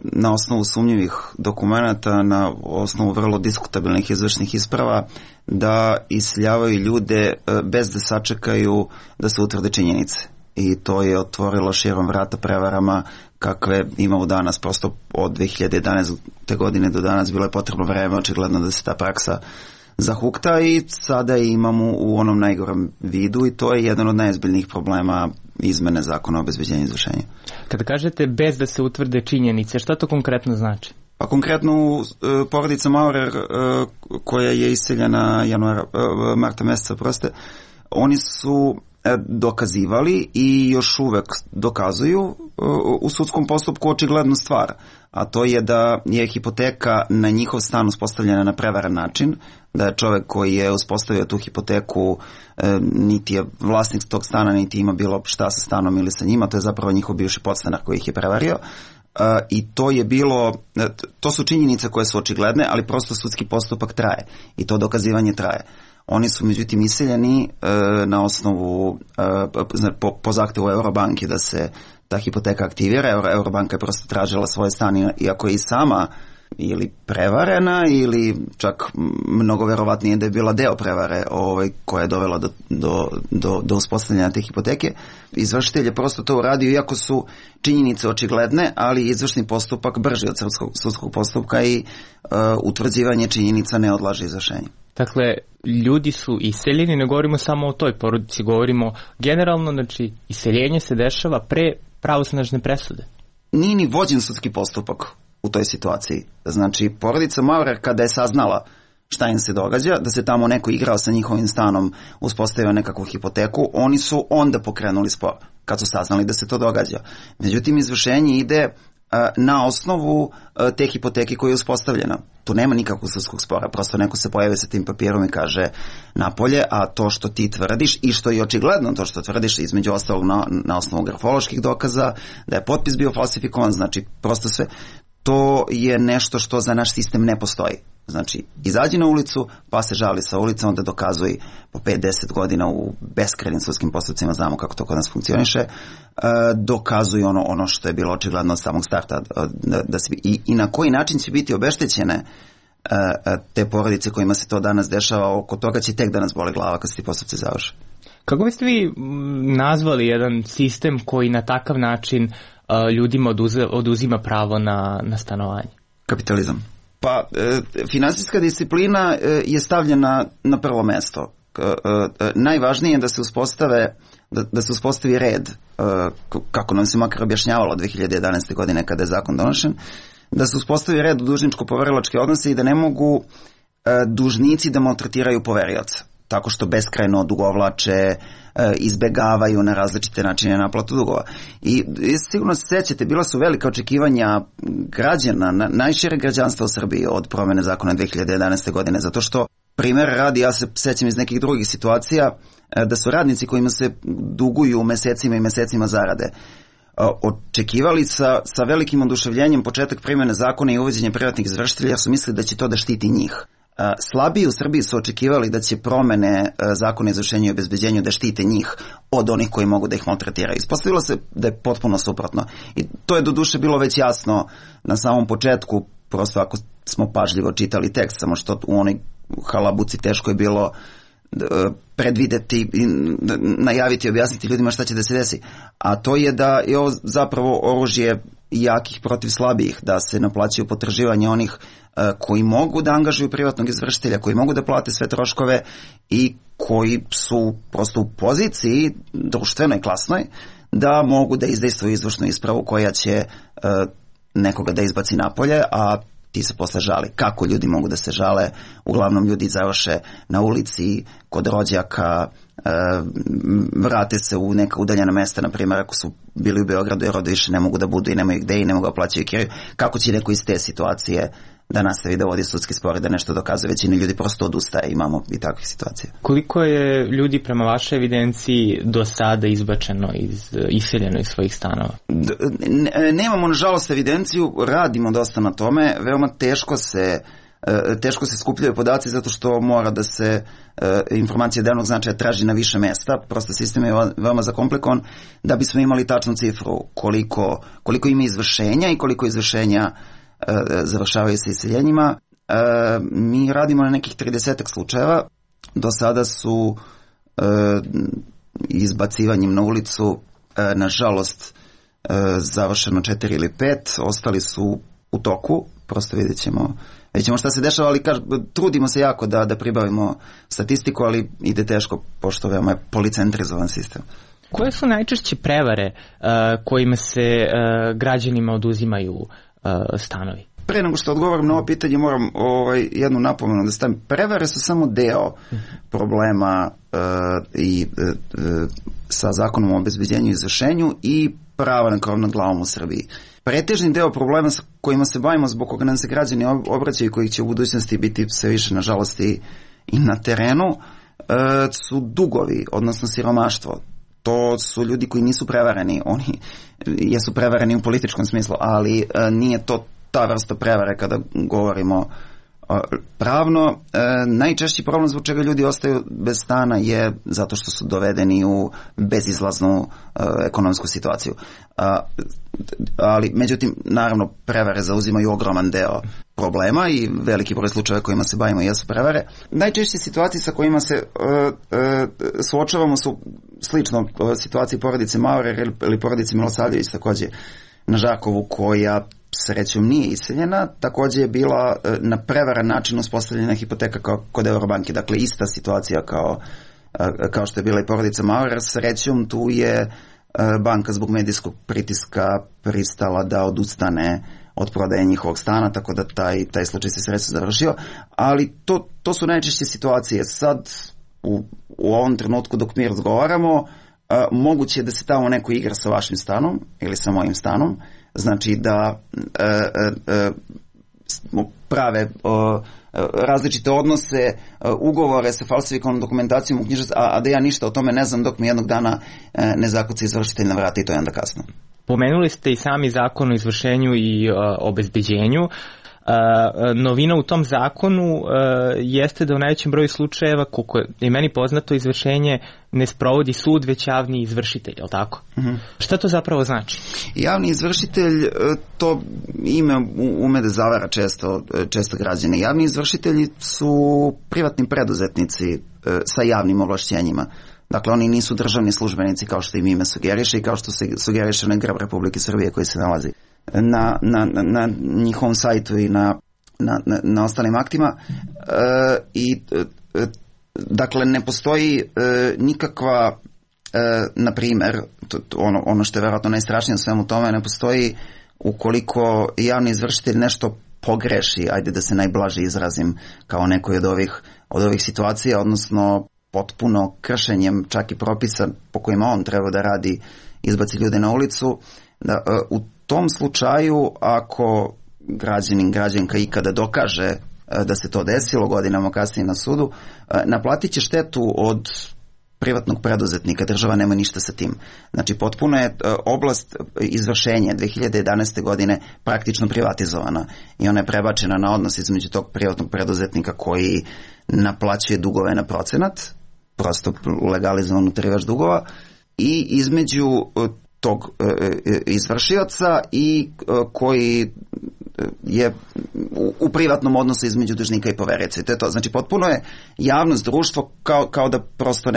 na osnovu sumnjivih dokumenata, na osnovu vrlo diskutabilnih izvršnih isprava, da iseljavaju ljude bez da sačekaju da se utvrde činjenice. I to je otvorilo širom vrata prevarama kakve imamo danas. Prosto od 2011. godine do danas bilo je potrebno vreme, očigledno da se ta praksa zahukta i sada imamo u onom najgorem vidu i to je jedan od najozbiljnijih problema izmene zakona o obezbeđenju i izvršenju.
Kada kažete bez da se utvrde činjenice, šta to konkretno znači?
Pa konkretno porodica Maurer koja je iseljena marta meseca, oni su dokazivali i još uvek dokazuju u sudskom postupku očiglednu stvar, a to je da je hipoteka na njihov stan uspostavljena na prevaren način, da je čovek koji je uspostavio tu hipoteku niti je vlasnik tog stana, niti ima bilo šta sa stanom ili sa njima, to je zapravo njihov bivši podstanar koji ih je prevario. I to je bilo, to su činjenice koje su očigledne, ali prosto sudski postupak traje i to dokazivanje traje. Oni su međutim iseljeni na osnovu, po zahtevu Eurobanke da se ta hipoteka aktivira. Eurobanka je prosto tražila svoje stan, iako je i sama ili prevarena ili čak mnogo verovatnije da je bila deo prevare koja je dovela do uspostavljanja te hipoteke. Izvršitelj je prosto to uradio, iako su činjenice očigledne, ali izvršni postupak brži od sudskog postupka i utvrđivanje činjenica ne odlaže izvršenje.
Dakle, ljudi su iseljeni, ne govorimo samo o toj porodici, govorimo generalno, znači iseljenje se dešava pre pravosnažne presude.
Nije ni vođen sudski postupak u toj situaciji. Znači, porodica Maurer kada je saznala šta im se događa, da se tamo neko igrao sa njihovim stanom, uspostavio nekakvu hipoteku, oni su onda pokrenuli spor, kad su saznali da se to događa. Međutim, izvršenje ide na osnovu te hipoteke koja je uspostavljena. Tu nema nikakvog sudskog spora, prosto neko se pojavi sa tim papirom i kaže napolje, a to što ti tvrdiš i što je očigledno to što tvrdiš, između ostalog na osnovu grafoloških dokaza, da je potpis bio falsifikovan, znači prosto sve, to je nešto što za naš sistem ne postoji. Znači, izađi na ulicu, pa se žali sa ulica, onda dokazuj po 5-10 godina u beskrajnim sudskim postupcima, znamo kako to kod nas funkcioniše, dokazuj ono što je bilo očigledno od samog starta. I na koji način će biti obeštećene te porodice kojima se to danas dešava, oko toga će tek da nas boli glava kad se ti postupci završe.
Kako biste vi nazvali jedan sistem koji na takav način ljudima oduzima pravo na stanovanje?
Kapitalizam. Pa, finansijska disciplina je stavljena na prvo mesto. Najvažnije je da se uspostavi red, kako nam se makar objašnjavalo 2011. godine kada je zakon donošen, da se uspostavi red u dužničko-poverilačke odnose i da ne mogu dužnici da maltretiraju poverioca, tako što beskrajno odugovlače, izbegavaju na različite načine naplatu dugova. I sigurno se sećate, bila su velika očekivanja građana, najšire građanstva u Srbiji od promene zakona 2011. godine, zato što, primjer radi, ja se sećam iz nekih drugih situacija, da su radnici kojima se duguju mesecima i mesecima zarade očekivali sa velikim oduševljenjem početak primjene zakona i uvođenje privatnih izvršitelja, jer su mislili da će to da štiti njih. Slabiji u Srbiji su očekivali da će promene zakona o izvršenju i obezbeđenju da štite njih od onih koji mogu da ih maltretiraju. Ispostavilo se da je potpuno suprotno. I to je doduše bilo već jasno na samom početku, prosto ako smo pažljivo čitali tekst, samo što u onoj halabuci teško je bilo predvideti, najaviti i objasniti ljudima šta će da se desi. A to je da je ovo zapravo oružje jakih protiv slabijih, da se naplaćaju potraživanja onih koji mogu da angažuju privatnog izvršitelja, koji mogu da plate sve troškove i koji su prosto u poziciji društvenoj, klasnoj, da mogu da izdejstvuju izvršnu ispravu koja će nekoga da izbaci napolje, a ti se posle žali. Kako ljudi mogu da se žale? Uglavnom ljudi završe na ulici, kod rođaka, vrate se u neka udaljena mesta, na primjer ako su bili u Beogradu jer ovde više ne mogu da budu i nemaju gde i ne mogu da plaćaju kiriju. Kako će neko iz te situacije da nastavi da vodi sudski spor i da nešto dokazuje? Većina ljudi prosto odustaje, imamo i takvih situacija.
Koliko je ljudi prema vašoj evidenciji do sada izbačeno, iseljeno iz svojih stanova?
Nemamo nažalost evidenciju, radimo dosta na tome, veoma teško se skupljaju podaci zato što mora da se informacija devnog značaja traži na više mesta, prosto sistem je veoma zakomplikovan, da bismo imali tačnu cifru koliko ima izvršenja i koliko izvršenja završavaju sa iseljenjima. Mi radimo na nekih 30 slučajeva, do sada su izbacivanjem na ulicu nažalost završeno 4 ili 5, ostali su u toku, prosto vidjet ćemo šta se dešava, ali trudimo se jako da pribavimo statistiku, ali ide teško, pošto veoma je policentrizovan sistem.
Koje su najčešće prevare kojima se građanima oduzimaju stanovi?
Pre nego što odgovorim na ovo pitanje, moram jednu napomenu da stavim. Prevare su samo deo problema sa zakonom o obezbeđenju i izvršenju i prava na krov nad glavom u Srbiji. Pretežni deo problema sa kojima se bavimo, zbog koga nam se građani obraćaju i kojih će u budućnosti biti sve više, nažalost, i na terenu, su dugovi, odnosno siromaštvo. To su ljudi koji nisu prevareni, oni jesu prevareni u političkom smislu, ali nije to ta vrsta prevare kada govorimo pravno. Najčešći problem zbog čega ljudi ostaju bez stana je zato što su dovedeni u bezizlaznu ekonomsku situaciju. Ali, međutim, naravno, prevare zauzimaju ogroman deo problema i veliki broj slučajeva kojima se bavimo jesu prevare. Najčešće situacije sa kojima se suočavamo su slično situaciji porodice Maurer ili porodice Milosavljević, takođe na Žakovu, koja srećom nije iseljena, takođe je bila na prevaran način uspostavljena hipoteka kod Eurobanke, dakle ista situacija kao što je bila i porodica Maurer. Srećom tu je banka zbog medijskog pritiska pristala da odustane od prodaje njihovog stana, tako da taj slučaj se srećom završio, ali to su najčešće situacije. Sad u ovom trenutku dok mi razgovaramo, moguće je da se tamo neko igra sa vašim stanom ili sa mojim stanom, znači da prave različite odnose, ugovore sa falsifikovanom dokumentacijom u knjižnici, a da ja ništa o tome ne znam dok mi jednog dana ne zakuca izvršitelj na vrata i to je onda kasno.
Pomenuli ste i sami zakon o izvršenju i obezbeđenju. Novina u tom zakonu jeste da u najvećem broju slučajeva, koliko je meni poznato, izvršenje ne sprovodi sud, već javni izvršitelj, je li tako? Šta to zapravo znači?
Javni izvršitelj, to ime ume da zavara često građane. Javni izvršitelji su privatni preduzetnici sa javnim ovlašćenjima. Dakle, oni nisu državni službenici kao što im ime sugeriše i kao što se sugeriše na grb Republike Srbije koji se nalazi na njihovom sajtu i na ostalim aktima. Dakle, ne postoji nikakva, na primjer, ono što je vjerojatno najstrašnije u svemu tome, ne postoji ukoliko javni izvršitelj nešto pogreši, ajde da se najblaže izrazim, kao nekoj od ovih situacija, odnosno potpuno kršenjem čak i propisa po kojima on treba da radi, izbaci ljude na ulicu. U tom slučaju, ako građanka ikada dokaže da se to desilo godinama kasnije na sudu, naplatit će štetu od privatnog preduzetnika, država nema ništa sa tim. Znači, potpuno je oblast izvršenja 2011. godine praktično privatizovana i ona je prebačena na odnos između tog privatnog preduzetnika koji naplaćuje dugove na procenat, prosto legalizovan utarivač dugova, i između tog izvršioca i koji je u privatnom odnosu između dužnika i poverioca. To je to. Znači, potpuno je javnost, društvo kao da prosto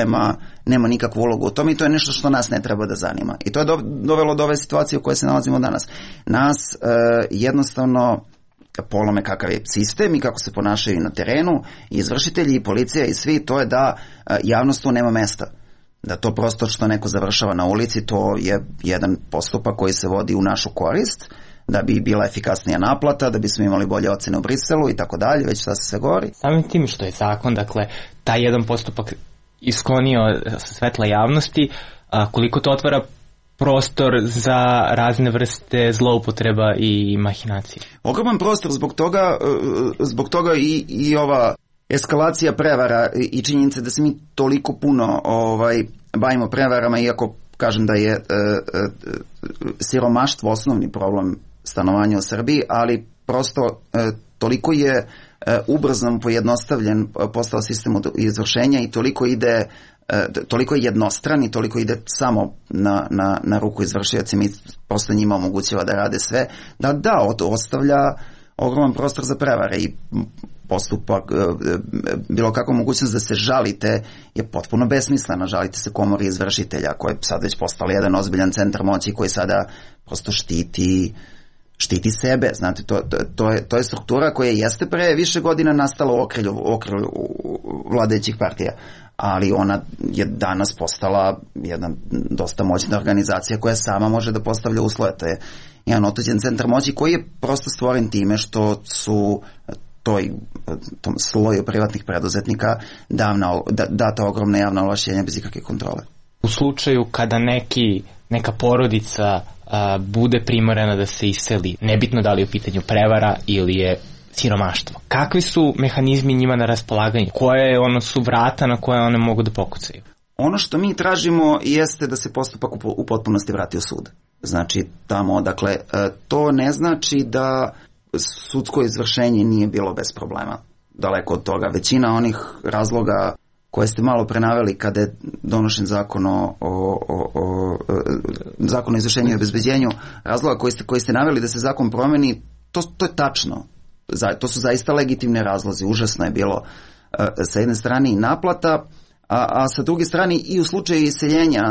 nema nikakvu ulogu u tome i to je nešto što nas ne treba da zanima. I to je dovelo do ove situacije u kojoj se nalazimo danas. Nas jednostavno polome kakav je sistem i kako se ponašaju na terenu, i izvršitelji i policija i svi, to je da javnost tu nema mesta. Da to prosto što neko završava na ulici, to je jedan postupak koji se vodi u našu korist, da bi bila efikasnija naplata, da bismo imali bolje ocene u Briselu i tako dalje, već šta se sve govori.
Samim tim što je zakon, dakle, taj jedan postupak isklonio sa svetla javnosti, koliko to otvara prostor za razne vrste zloupotreba i mahinacije?
Ogroman prostor, zbog toga i ova eskalacija prevara i činjenica da se mi toliko puno bavimo prevarama, iako kažem da je siromaštvo osnovni problem stanovanja u Srbiji, ali prosto toliko je ubrzan, pojednostavljen postao sistem izvršenja i toliko je jednostran i toliko ide samo na ruku izvršiocima i prosto njima omogućava da rade sve, da ostavlja ogroman prostor za prevare i postupak, bilo kakva mogućnost da se žalite je potpuno besmislena. Žalite se komori izvršitelja koja je sad već postala jedan ozbiljan centar moći koji sada prosto štiti sebe. Znate, to je struktura koja jeste pre više godina nastala u okrilju vladajućih partija, ali ona je danas postala jedna dosta moćna organizacija koja sama može da postavlja uslove. To je jedan otuđen centar moći koji je prosto stvoren time što su tom sloju privatnih preduzetnika data ogromna javna ovlašćenja bez ikakve kontrole.
U slučaju kada neka porodica bude primorana da se iseli, nebitno da li je u pitanju prevara ili je siromaštvo, kakvi su mehanizmi njima na raspolaganju? Koje su vrata na koje one mogu da pokucaju?
Ono što mi tražimo jeste da se postupak u potpunosti vrati u sud. Znači, tamo, dakle, to ne znači da sudsko izvršenje nije bilo bez problema. Daleko od toga. Većina onih razloga koje ste malo prenaveli kada je donošen zakon zakon o izvršenju i obezbeđenju, razloga koji ste naveli da se zakon promeni, to je tačno. To su zaista legitimne razlozi. Užasno je bilo sa jedne strane i naplata, a sa druge strane i u slučaju iseljenja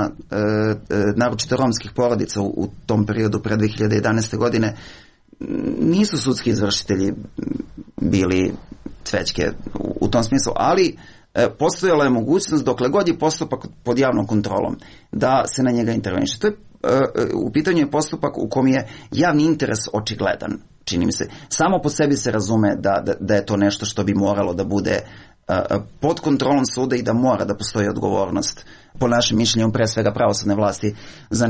naročito romskih porodica u tom periodu pre 2011. godine nisu sudski izvršitelji bili cvećke u tom smislu, ali postojala je mogućnost dokle god je postupak pod javnom kontrolom da se na njega interveniše. To je u pitanju je postupak u kom je javni interes očigledan, čini mi se. Samo po sebi se razume da je to nešto što bi moralo da bude pod kontrolom suda i da mora da postoji odgovornost, po našem mišljenju, pre svega pravosudne vlasti, za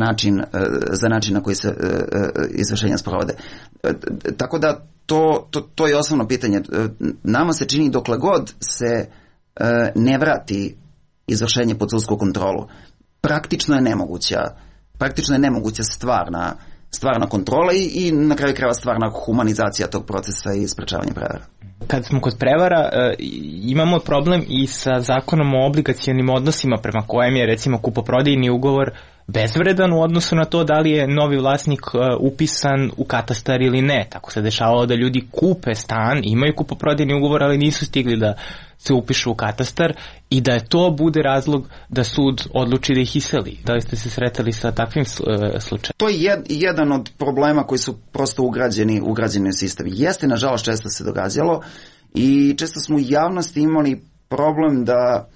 način na koji se izvršenja sprovode. Tako da to je osnovno pitanje. Nama se čini dokle god se ne vrati izvršenje pod sudsku kontrolu, praktično je nemoguća stvarna stvarna kontrola i na kraju krajeva stvarna humanizacija tog procesa i sprečavanje prevara.
Kad smo kod prevara, imamo problem i sa zakonom o obligacionim odnosima prema kojem je recimo kupoprodajni ugovor bezvredan u odnosu na to da li je novi vlasnik upisan u katastar ili ne. Tako se dešavalo da ljudi kupe stan, imaju kupoprodajni ugovor, ali nisu stigli da se upišu u katastar i da je to bude razlog da sud odluči da ih iseli. Da li ste se sretali sa takvim slučajem?
To je jedan od problema koji su prosto ugrađeni u sistem. Jeste, nažalost, često se događalo i često smo u javnosti imali problem da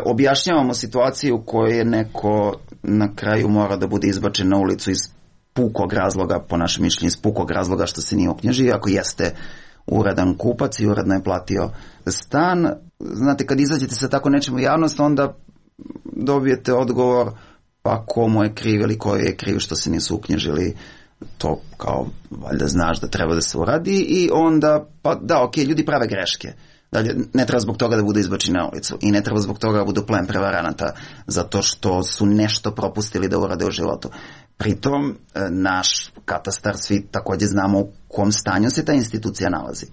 objašnjavamo situaciju u kojoj je neko na kraju mora da bude izbačen na ulicu iz pukog razloga, po našem mišljenju iz pukog razloga što se nije uknjižio, ako jeste uradan kupac i uredno je platio stan. Znate, kad izađete sa tako nečim u javnost, onda dobijete odgovor pa komu je kriv ili koji je kriv što se nisu uknjižili. To kao valjda znaš da treba da se uradi i onda, pa da, ok, ljudi prave greške. Dalje, ne treba zbog toga da budu izbačeni na ulicu i ne treba zbog toga da budu plen prevaranata zato što su nešto propustili da urade u životu. Pritom, naš katastar, svi takođe znamo u kom stanju se ta institucija nalazi.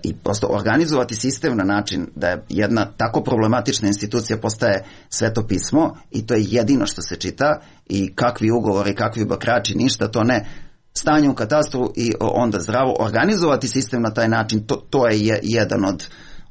I prosto organizovati sistem na način da je jedna tako problematična institucija postaje sveto pismo i to je jedino što se čita i kakvi ugovori, kakvi bakrači, ništa, to ne. Stanje u katastru i onda zdravo. Organizovati sistem na taj način, to je jedan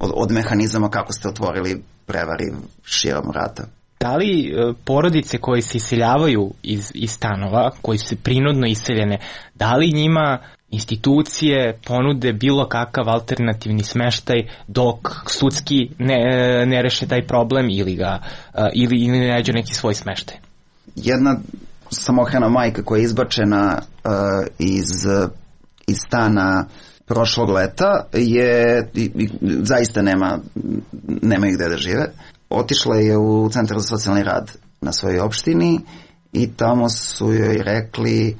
od mehanizama kako ste otvorili prevari širom vrata.
Da li porodice koje se iseljavaju iz stanova, koji su prinudno iseljene, da li njima institucije ponude bilo kakav alternativni smeštaj dok sudski ne reše taj problem ili ne nađu neki svoj smeštaj? Jedna
samohrana majka koja je izbačena iz stana prošlog leta zaista nema gde da žive. Otišla je u Centar za socijalni rad na svojoj opštini i tamo su joj rekli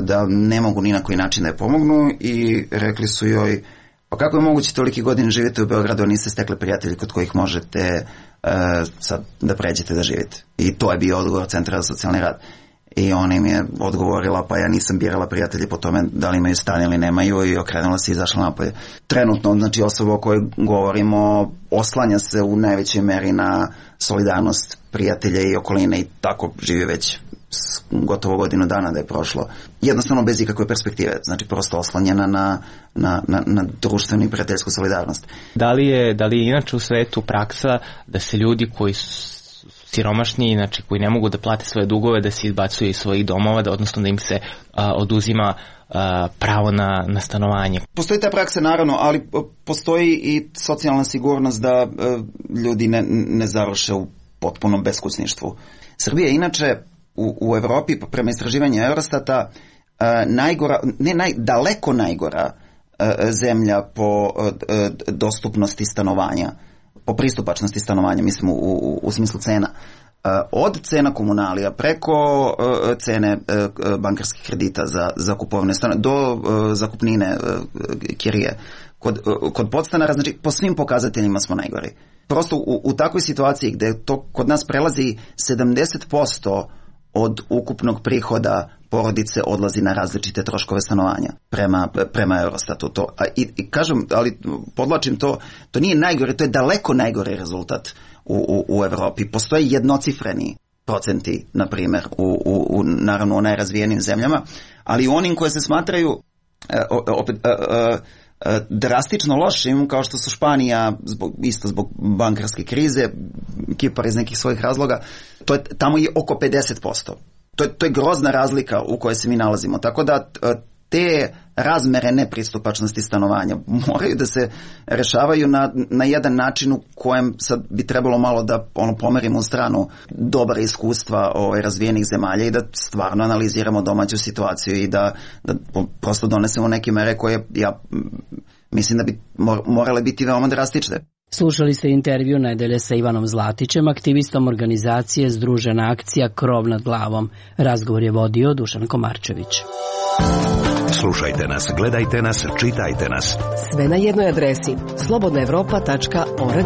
da ne mogu ni na koji način da je pomognu i rekli su joj pa kako je moguće toliki godin živite u Beogradu a niste stekli prijatelji kod kojih možete sad da pređete da živite. I to je bio odgovor Centra za socijalni rad. I ona im je odgovorila pa ja nisam birala prijatelji po tome da li imaju stan ili nemaju i okrenula se i izašla napolje. Trenutno, znači osoba o kojoj govorimo oslanja se u najvećoj meri na solidarnost prijatelja i okoline i tako živi već gotovo godinu dana da je prošlo. Jednostavno bez ikakve perspektive, znači prosto oslanjena na društvenu i prijateljsku solidarnost.
Da li je inače u svetu praksa da se ljudi koji su siromašni, znači koji ne mogu da plate svoje dugove, da se izbacuju iz svojih domova, odnosno da im se oduzima pravo na stanovanje? Postoji ta praksa naravno, ali postoji i socijalna sigurnost da ljudi ne završe u potpunom beskućništvu. Srbija je inače u Evropi prema istraživanju Eurostata daleko najgora zemlja po dostupnosti stanovanja, po pristupačnosti stanovanja, mislim u smislu cena. Od cena komunalija preko cene bankarskih kredita za kupovne stane do zakupnine kirije. Kod podstanara, znači po svim pokazateljima smo najgori. Prosto u takvoj situaciji gde to kod nas prelazi 70% od ukupnog prihoda porodice odlazi na različite troškove stanovanja prema Eurostatu. I kažem, ali podlačim to nije najgore, to je daleko najgore rezultat u Evropi. Postoje jednocifreni procenti, na primjer, naravno u najrazvijenim zemljama, ali u onim koje se smatraju drastično lošim, kao što su Španija, isto zbog bankarske krize, Kipar iz nekih svojih razloga, tamo je oko 50%. To je grozna razlika u kojoj se mi nalazimo. Tako da te razmere nepristupačnosti stanovanja moraju da se rešavaju na jedan način u kojem sad bi trebalo malo da pomerimo u stranu dobra iskustva razvijenih zemalja i da stvarno analiziramo domaću situaciju i da prosto donesemo neke mere koje ja mislim da bi morale biti veoma drastične.
Slušali ste intervju nedelje sa Ivanom Zlatićem, aktivistom organizacije Združena akcija Krov nad glavom. Razgovor je vodio Dušan Komarčević.
Slušajte nas, gledajte nas, čitajte nas.
Sve na jednoj adresi slobodnaevropa.org.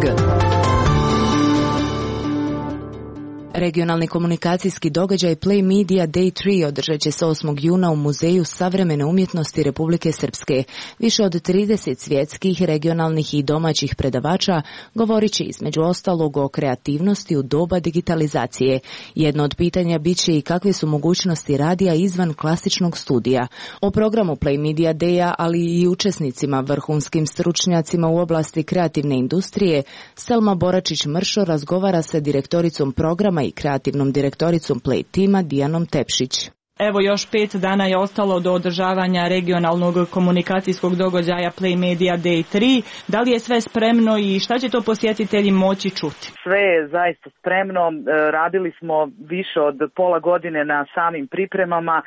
Regionalni komunikacijski događaj Play Media Day 3 održat će se 8. juna u Muzeju savremene umjetnosti Republike Srpske. Više od 30 svjetskih, regionalnih i domaćih predavača govorit će između ostalog o kreativnosti u doba digitalizacije. Jedno od pitanja bit će i kakve su mogućnosti radija izvan klasičnog studija. O programu Play Media Day-a, ali i učesnicima, vrhunskim stručnjacima u oblasti kreativne industrije, Selma Boračić-Mršo razgovara sa direktoricom programa i kreativnom direktoricom Play tima Dijanom Tepšić.
Evo još 5 dana je ostalo do održavanja regionalnog komunikacijskog događaja Play Media Day 3. Da li je sve spremno i šta će to posjetitelji moći čuti?
Sve je zaista spremno. Radili smo više od pola godine na samim pripremama.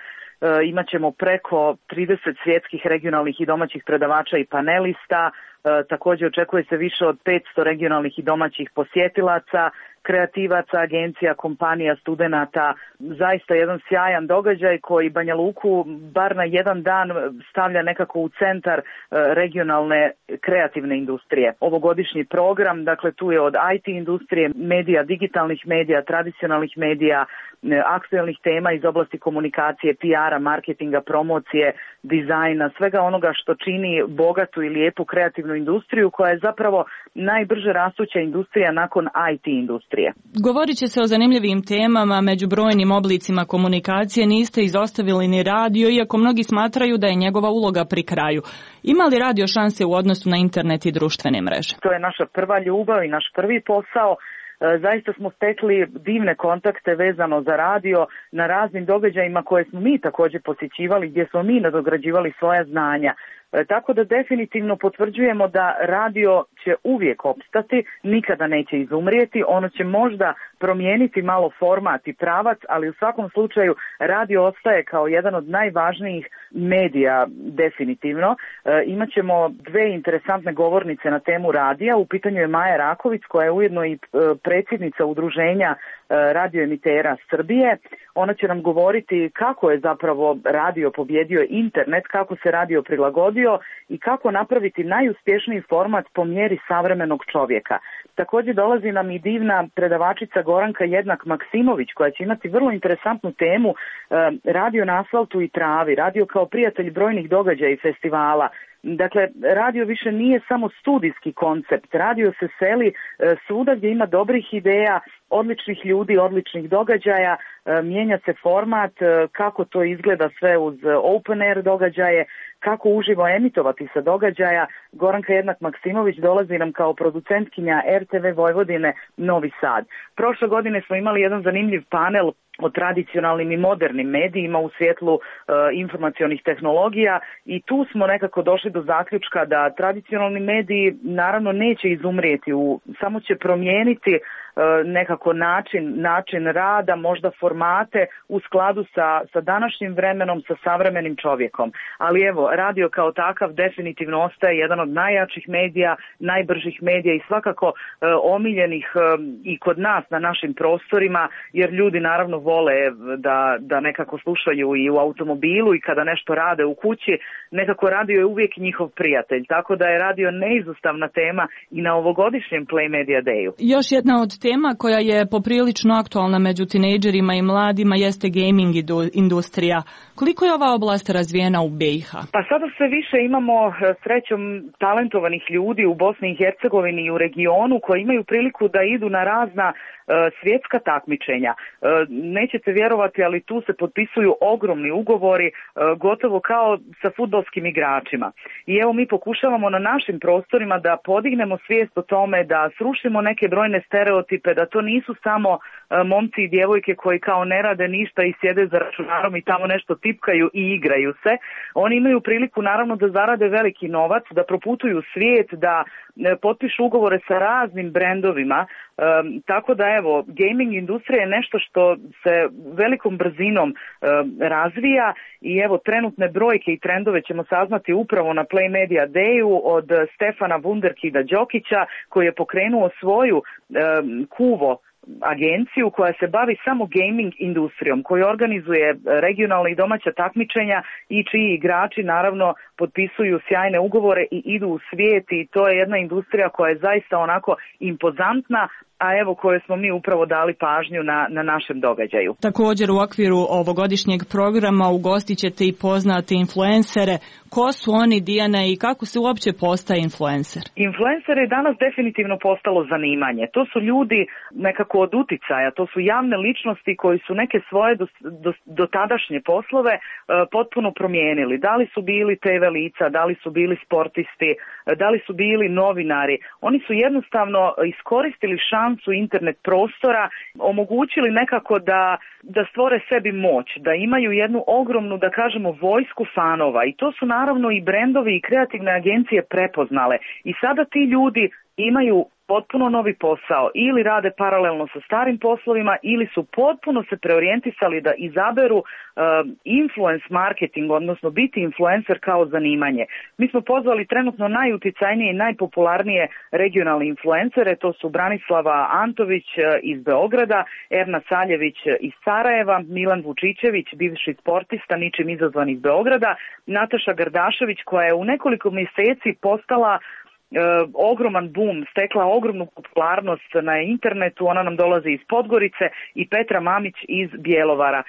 Imaćemo preko 30 svjetskih, regionalnih i domaćih predavača i panelista. Također očekuje se više od 500 regionalnih i domaćih posjetilaca, kreativaca, agencija, kompanija, studenata. Zaista jedan sjajan događaj koji Banja Luku bar na jedan dan stavlja nekako u centar regionalne kreativne industrije. Ovogodišnji program, dakle tu je od IT industrije, medija, digitalnih medija, tradicionalnih medija, aktuelnih tema iz oblasti komunikacije, PR-a, marketinga, promocije, dizajna, svega onoga što čini bogatu i lijepu kreativnu industriju koja je zapravo najbrže rastuća industrija nakon IT industrije.
Govorit će se o zanimljivim temama, među brojnim oblicima komunikacije niste izostavili ni radio, iako mnogi smatraju da je njegova uloga pri kraju. Ima li radio šanse u odnosu na internet i društvene mreže?
To je naša prva ljubav i naš prvi posao. Zaista smo stekli divne kontakte vezano za radio na raznim događajima koje smo mi također posjećivali, gdje smo mi nadograđivali svoja znanja. Tako da definitivno potvrđujemo da radio će uvijek opstati, nikada neće izumrijeti, ono će možda promijeniti malo format i pravac, ali u svakom slučaju radio ostaje kao jedan od najvažnijih medija definitivno. Imaćemo dve interesantne govornice na temu radija, u pitanju je Maja Raković koja je ujedno i predsjednica udruženja radioemitera Srbije. Ona će nam govoriti kako je zapravo radio pobjedio internet, kako se radio prilagodio i kako napraviti najuspješniji format po mjeri savremenog čovjeka. Također dolazi nam i divna predavačica Goranka Jednak-Maksimović koja će imati vrlo interesantnu temu radio na asfaltu i travi, radio kao prijatelj brojnih događaja i festivala. Dakle, radio više nije samo studijski koncept, radio se seli svuda gdje ima dobrih ideja, odličnih ljudi, odličnih događaja, mijenja se format, kako to izgleda sve uz open air događaje, kako uživo emitovati sa događaja. Goranka Jednak-Maksimović dolazi nam kao producentkinja RTV Vojvodine Novi Sad. Prošle godine smo imali jedan zanimljiv panel o tradicionalnim i modernim medijima u svjetlu informacionih tehnologija i tu smo nekako došli do zaključka da tradicionalni mediji naravno neće izumrijeti, samo će promijeniti nekako način rada, možda formate u skladu sa današnjim vremenom, sa savremenim čovjekom. Ali evo, radio kao takav definitivno ostaje jedan od najjačih medija, najbržih medija i svakako omiljenih i kod nas na našim prostorima, jer ljudi naravno vole da nekako slušaju i u automobilu i kada nešto rade u kući, nekako radio je uvijek njihov prijatelj, tako da je radio neizostavna tema i na ovogodišnjem Play Media Dayu.
Još jedna od tema koja je poprilično aktualna među tinejdžerima i mladima jeste gaming industrija. Koliko je ova oblast razvijena u BiH?
Pa sada sve više imamo srećom talentovanih ljudi u Bosni i Hercegovini i u regionu koji imaju priliku da idu na razna svjetska takmičenja. Nećete vjerovati, ali tu se potpisuju ogromni ugovori, gotovo kao sa fudbalskim igračima. I evo mi pokušavamo na našim prostorima da podignemo svijest o tome, da srušimo neke brojne stereotipe, da to nisu samo momci i djevojke koji kao ne rade ništa i sjede za računarom i tamo nešto tipkaju i igraju se. Oni imaju priliku naravno da zarade veliki novac, da proputuju svijet, da potpišu ugovore sa raznim brendovima, tako da evo, gaming industrija je nešto što se velikom brzinom razvija i evo trenutne brojke i trendove ćemo saznati upravo na Play Media Dayu od Stefana Wunderkida Đokića koji je pokrenuo svoju Kuvo agenciju koja se bavi samo gaming industrijom, koja organizuje regionalna i domaća takmičenja i čiji igrači naravno potpisuju sjajne ugovore i idu u svijet, i to je jedna industrija koja je zaista onako impozantna, a evo koje smo mi upravo dali pažnju na našem događaju.
Također u okviru ovogodišnjeg programa ugostit ćete i poznate influencere. Ko su oni, Dijana, i kako se uopće postaje influencer?
Influencer je danas definitivno postalo zanimanje. To su ljudi nekako od uticaja, to su javne ličnosti koji su neke svoje dotadašnje poslove potpuno promijenili. Da li su bili TV lica, da li su bili sportisti, da li su bili novinari. Oni su jednostavno iskoristili šansu internet prostora, omogućili nekako da stvore sebi moć, da imaju jednu ogromnu, da kažemo, vojsku fanova, i to su naravno i brendovi i kreativne agencije prepoznale, i sada ti ljudi imaju potpuno novi posao, ili rade paralelno sa starim poslovima, ili su potpuno se preorijentisali da izaberu influence marketing, odnosno biti influencer kao zanimanje. Mi smo pozvali trenutno najuticajnije i najpopularnije regionalne influencere, to su Branislava Antović iz Beograda, Erna Saljević iz Sarajeva, Milan Vučićević, bivši sportista ničim izazvan iz Beograda, Nataša Gardašević koja je u nekoliko mjeseci postala ogroman boom, stekla ogromnu popularnost na internetu, ona nam dolazi iz Podgorice, i Petra Mamić iz Bjelovara.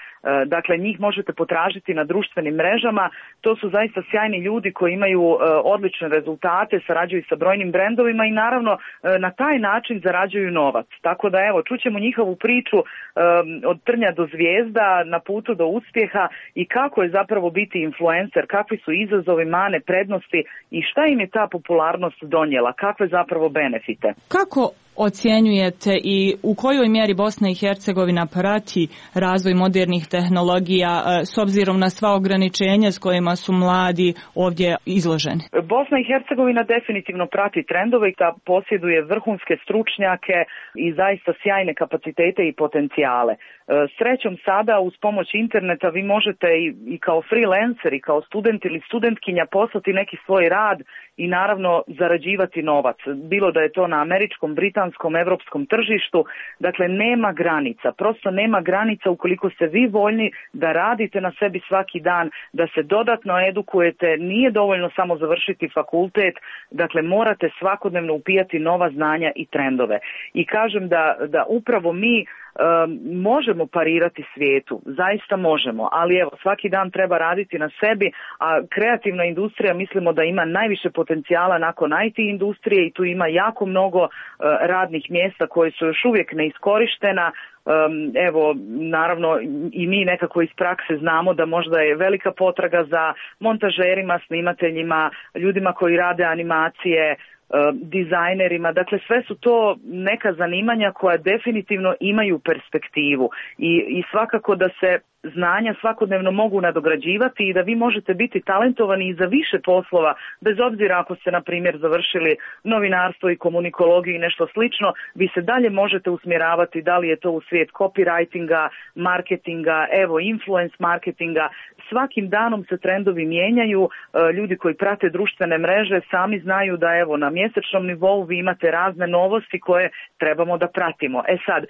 Dakle, njih možete potražiti na društvenim mrežama. To su zaista sjajni ljudi koji imaju odlične rezultate, sarađuju sa brojnim brendovima i naravno na taj način zarađuju novac. Tako da evo, čućemo njihovu priču od trnja do zvijezda, na putu do uspjeha, i kako je zapravo biti influencer, kakvi su izazovi, mane, prednosti i šta im je ta popularnost donijela, kakve zapravo benefite.
Kako ocjenjujete i u kojoj mjeri Bosna i Hercegovina prati razvoj modernih tehnologija s obzirom na sva ograničenja s kojima su mladi ovdje izloženi? Bosna i Hercegovina definitivno prati trendove i da posjeduje vrhunske stručnjake i zaista sjajne kapacitete i potencijale. Srećom sada uz pomoć interneta vi možete i kao freelancer i kao student ili studentkinja poslati neki svoj rad i naravno zarađivati novac. Bilo da je to na američkom, britanskom, evropskom tržištu. Dakle, nema granica. Prosto nema granica ukoliko ste vi voljni da radite na sebi svaki dan, da se dodatno edukujete. Nije dovoljno samo završiti fakultet. Dakle, morate svakodnevno upijati nova znanja i trendove. I kažem da upravo mi možemo parirati svijetu, zaista možemo, ali evo svaki dan treba raditi na sebi, a kreativna industrija mislimo da ima najviše potencijala nakon IT industrije i tu ima jako mnogo radnih mjesta koje su još uvijek neiskorištena. Evo, naravno i mi nekako iz prakse znamo da možda je velika potraga za montažerima, snimateljima, ljudima koji rade animacije, dizajnerima, dakle sve su to neka zanimanja koja definitivno imaju perspektivu i svakako da se znanja svakodnevno mogu nadograđivati i da vi možete biti talentovani i za više poslova, bez obzira ako ste na primjer završili novinarstvo i komunikologiju i nešto slično, vi se dalje možete usmjeravati da li je to u svijet copywritinga, marketinga, evo influence marketinga. Svakim danom se trendovi mijenjaju, ljudi koji prate društvene mreže sami znaju da evo na mjesečnom nivou vi imate razne novosti koje trebamo da pratimo. E sad,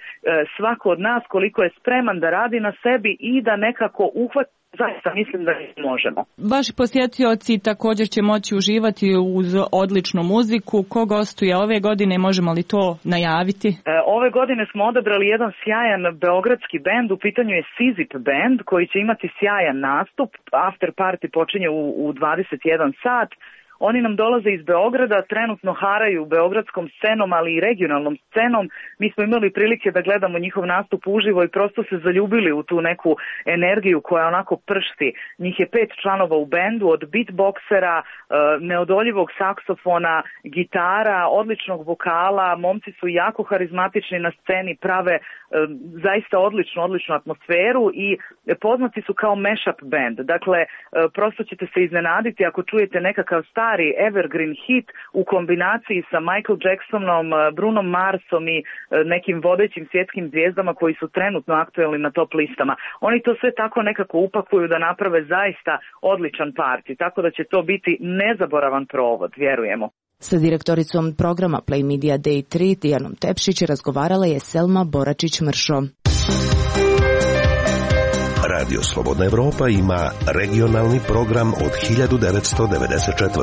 svako od nas koliko je spreman da radi na sebi i da nekako uhvati, zaista mislim da možemo. Vaši posjetioci također će moći uživati uz odličnu muziku. Ko gostuje ove godine, možemo li to najaviti? Ove godine smo odabrali jedan sjajan beogradski bend, u pitanju je Sizip band koji će imati sjajan nastup. After party počinje u 21 sat. Oni nam dolaze iz Beograda, trenutno haraju beogradskom scenom, ali i regionalnom scenom. Mi smo imali prilike da gledamo njihov nastup uživo i prosto se zaljubili u tu neku energiju koja onako pršti. Njih je 5 članova u bendu, od beatboksera, neodoljivog saksofona, gitara, odličnog vokala. Momci su jako harizmatični na sceni, prave zaista odličnu atmosferu i poznati su kao mashup band. Dakle, prosto ćete se iznenaditi ako čujete nekakav stari evergreen hit u kombinaciji sa Michael Jacksonom, Brunom Marsom i nekim vodećim svjetskim zvijezdama koji su trenutno aktuelni na top listama. Oni to sve tako nekako upakuju da naprave zaista odličan party, tako da će to biti nezaboravan provod, vjerujemo.
Sa direktoricom programa Play Media Day 3 Dijanom Tepšić razgovarala je Selma Boračić-Mršo.
Radio Slobodna Evropa ima regionalni program od 1994.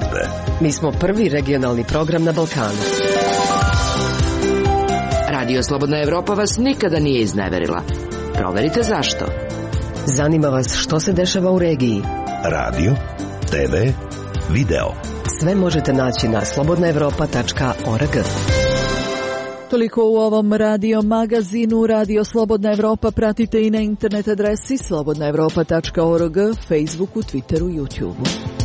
Mi smo prvi regionalni program na Balkanu.
Radio Slobodna Evropa vas nikada nije izneverila. Proverite zašto.
Zanima vas što se dešava u regiji.
Radio, TV, video.
Sve možete naći na slobodnaevropa.org.
Toliko u ovom radio magazinu. Radio Slobodna Evropa pratite i na internet adresi slobodnaevropa.org, Facebooku, Twitteru, YouTubeu.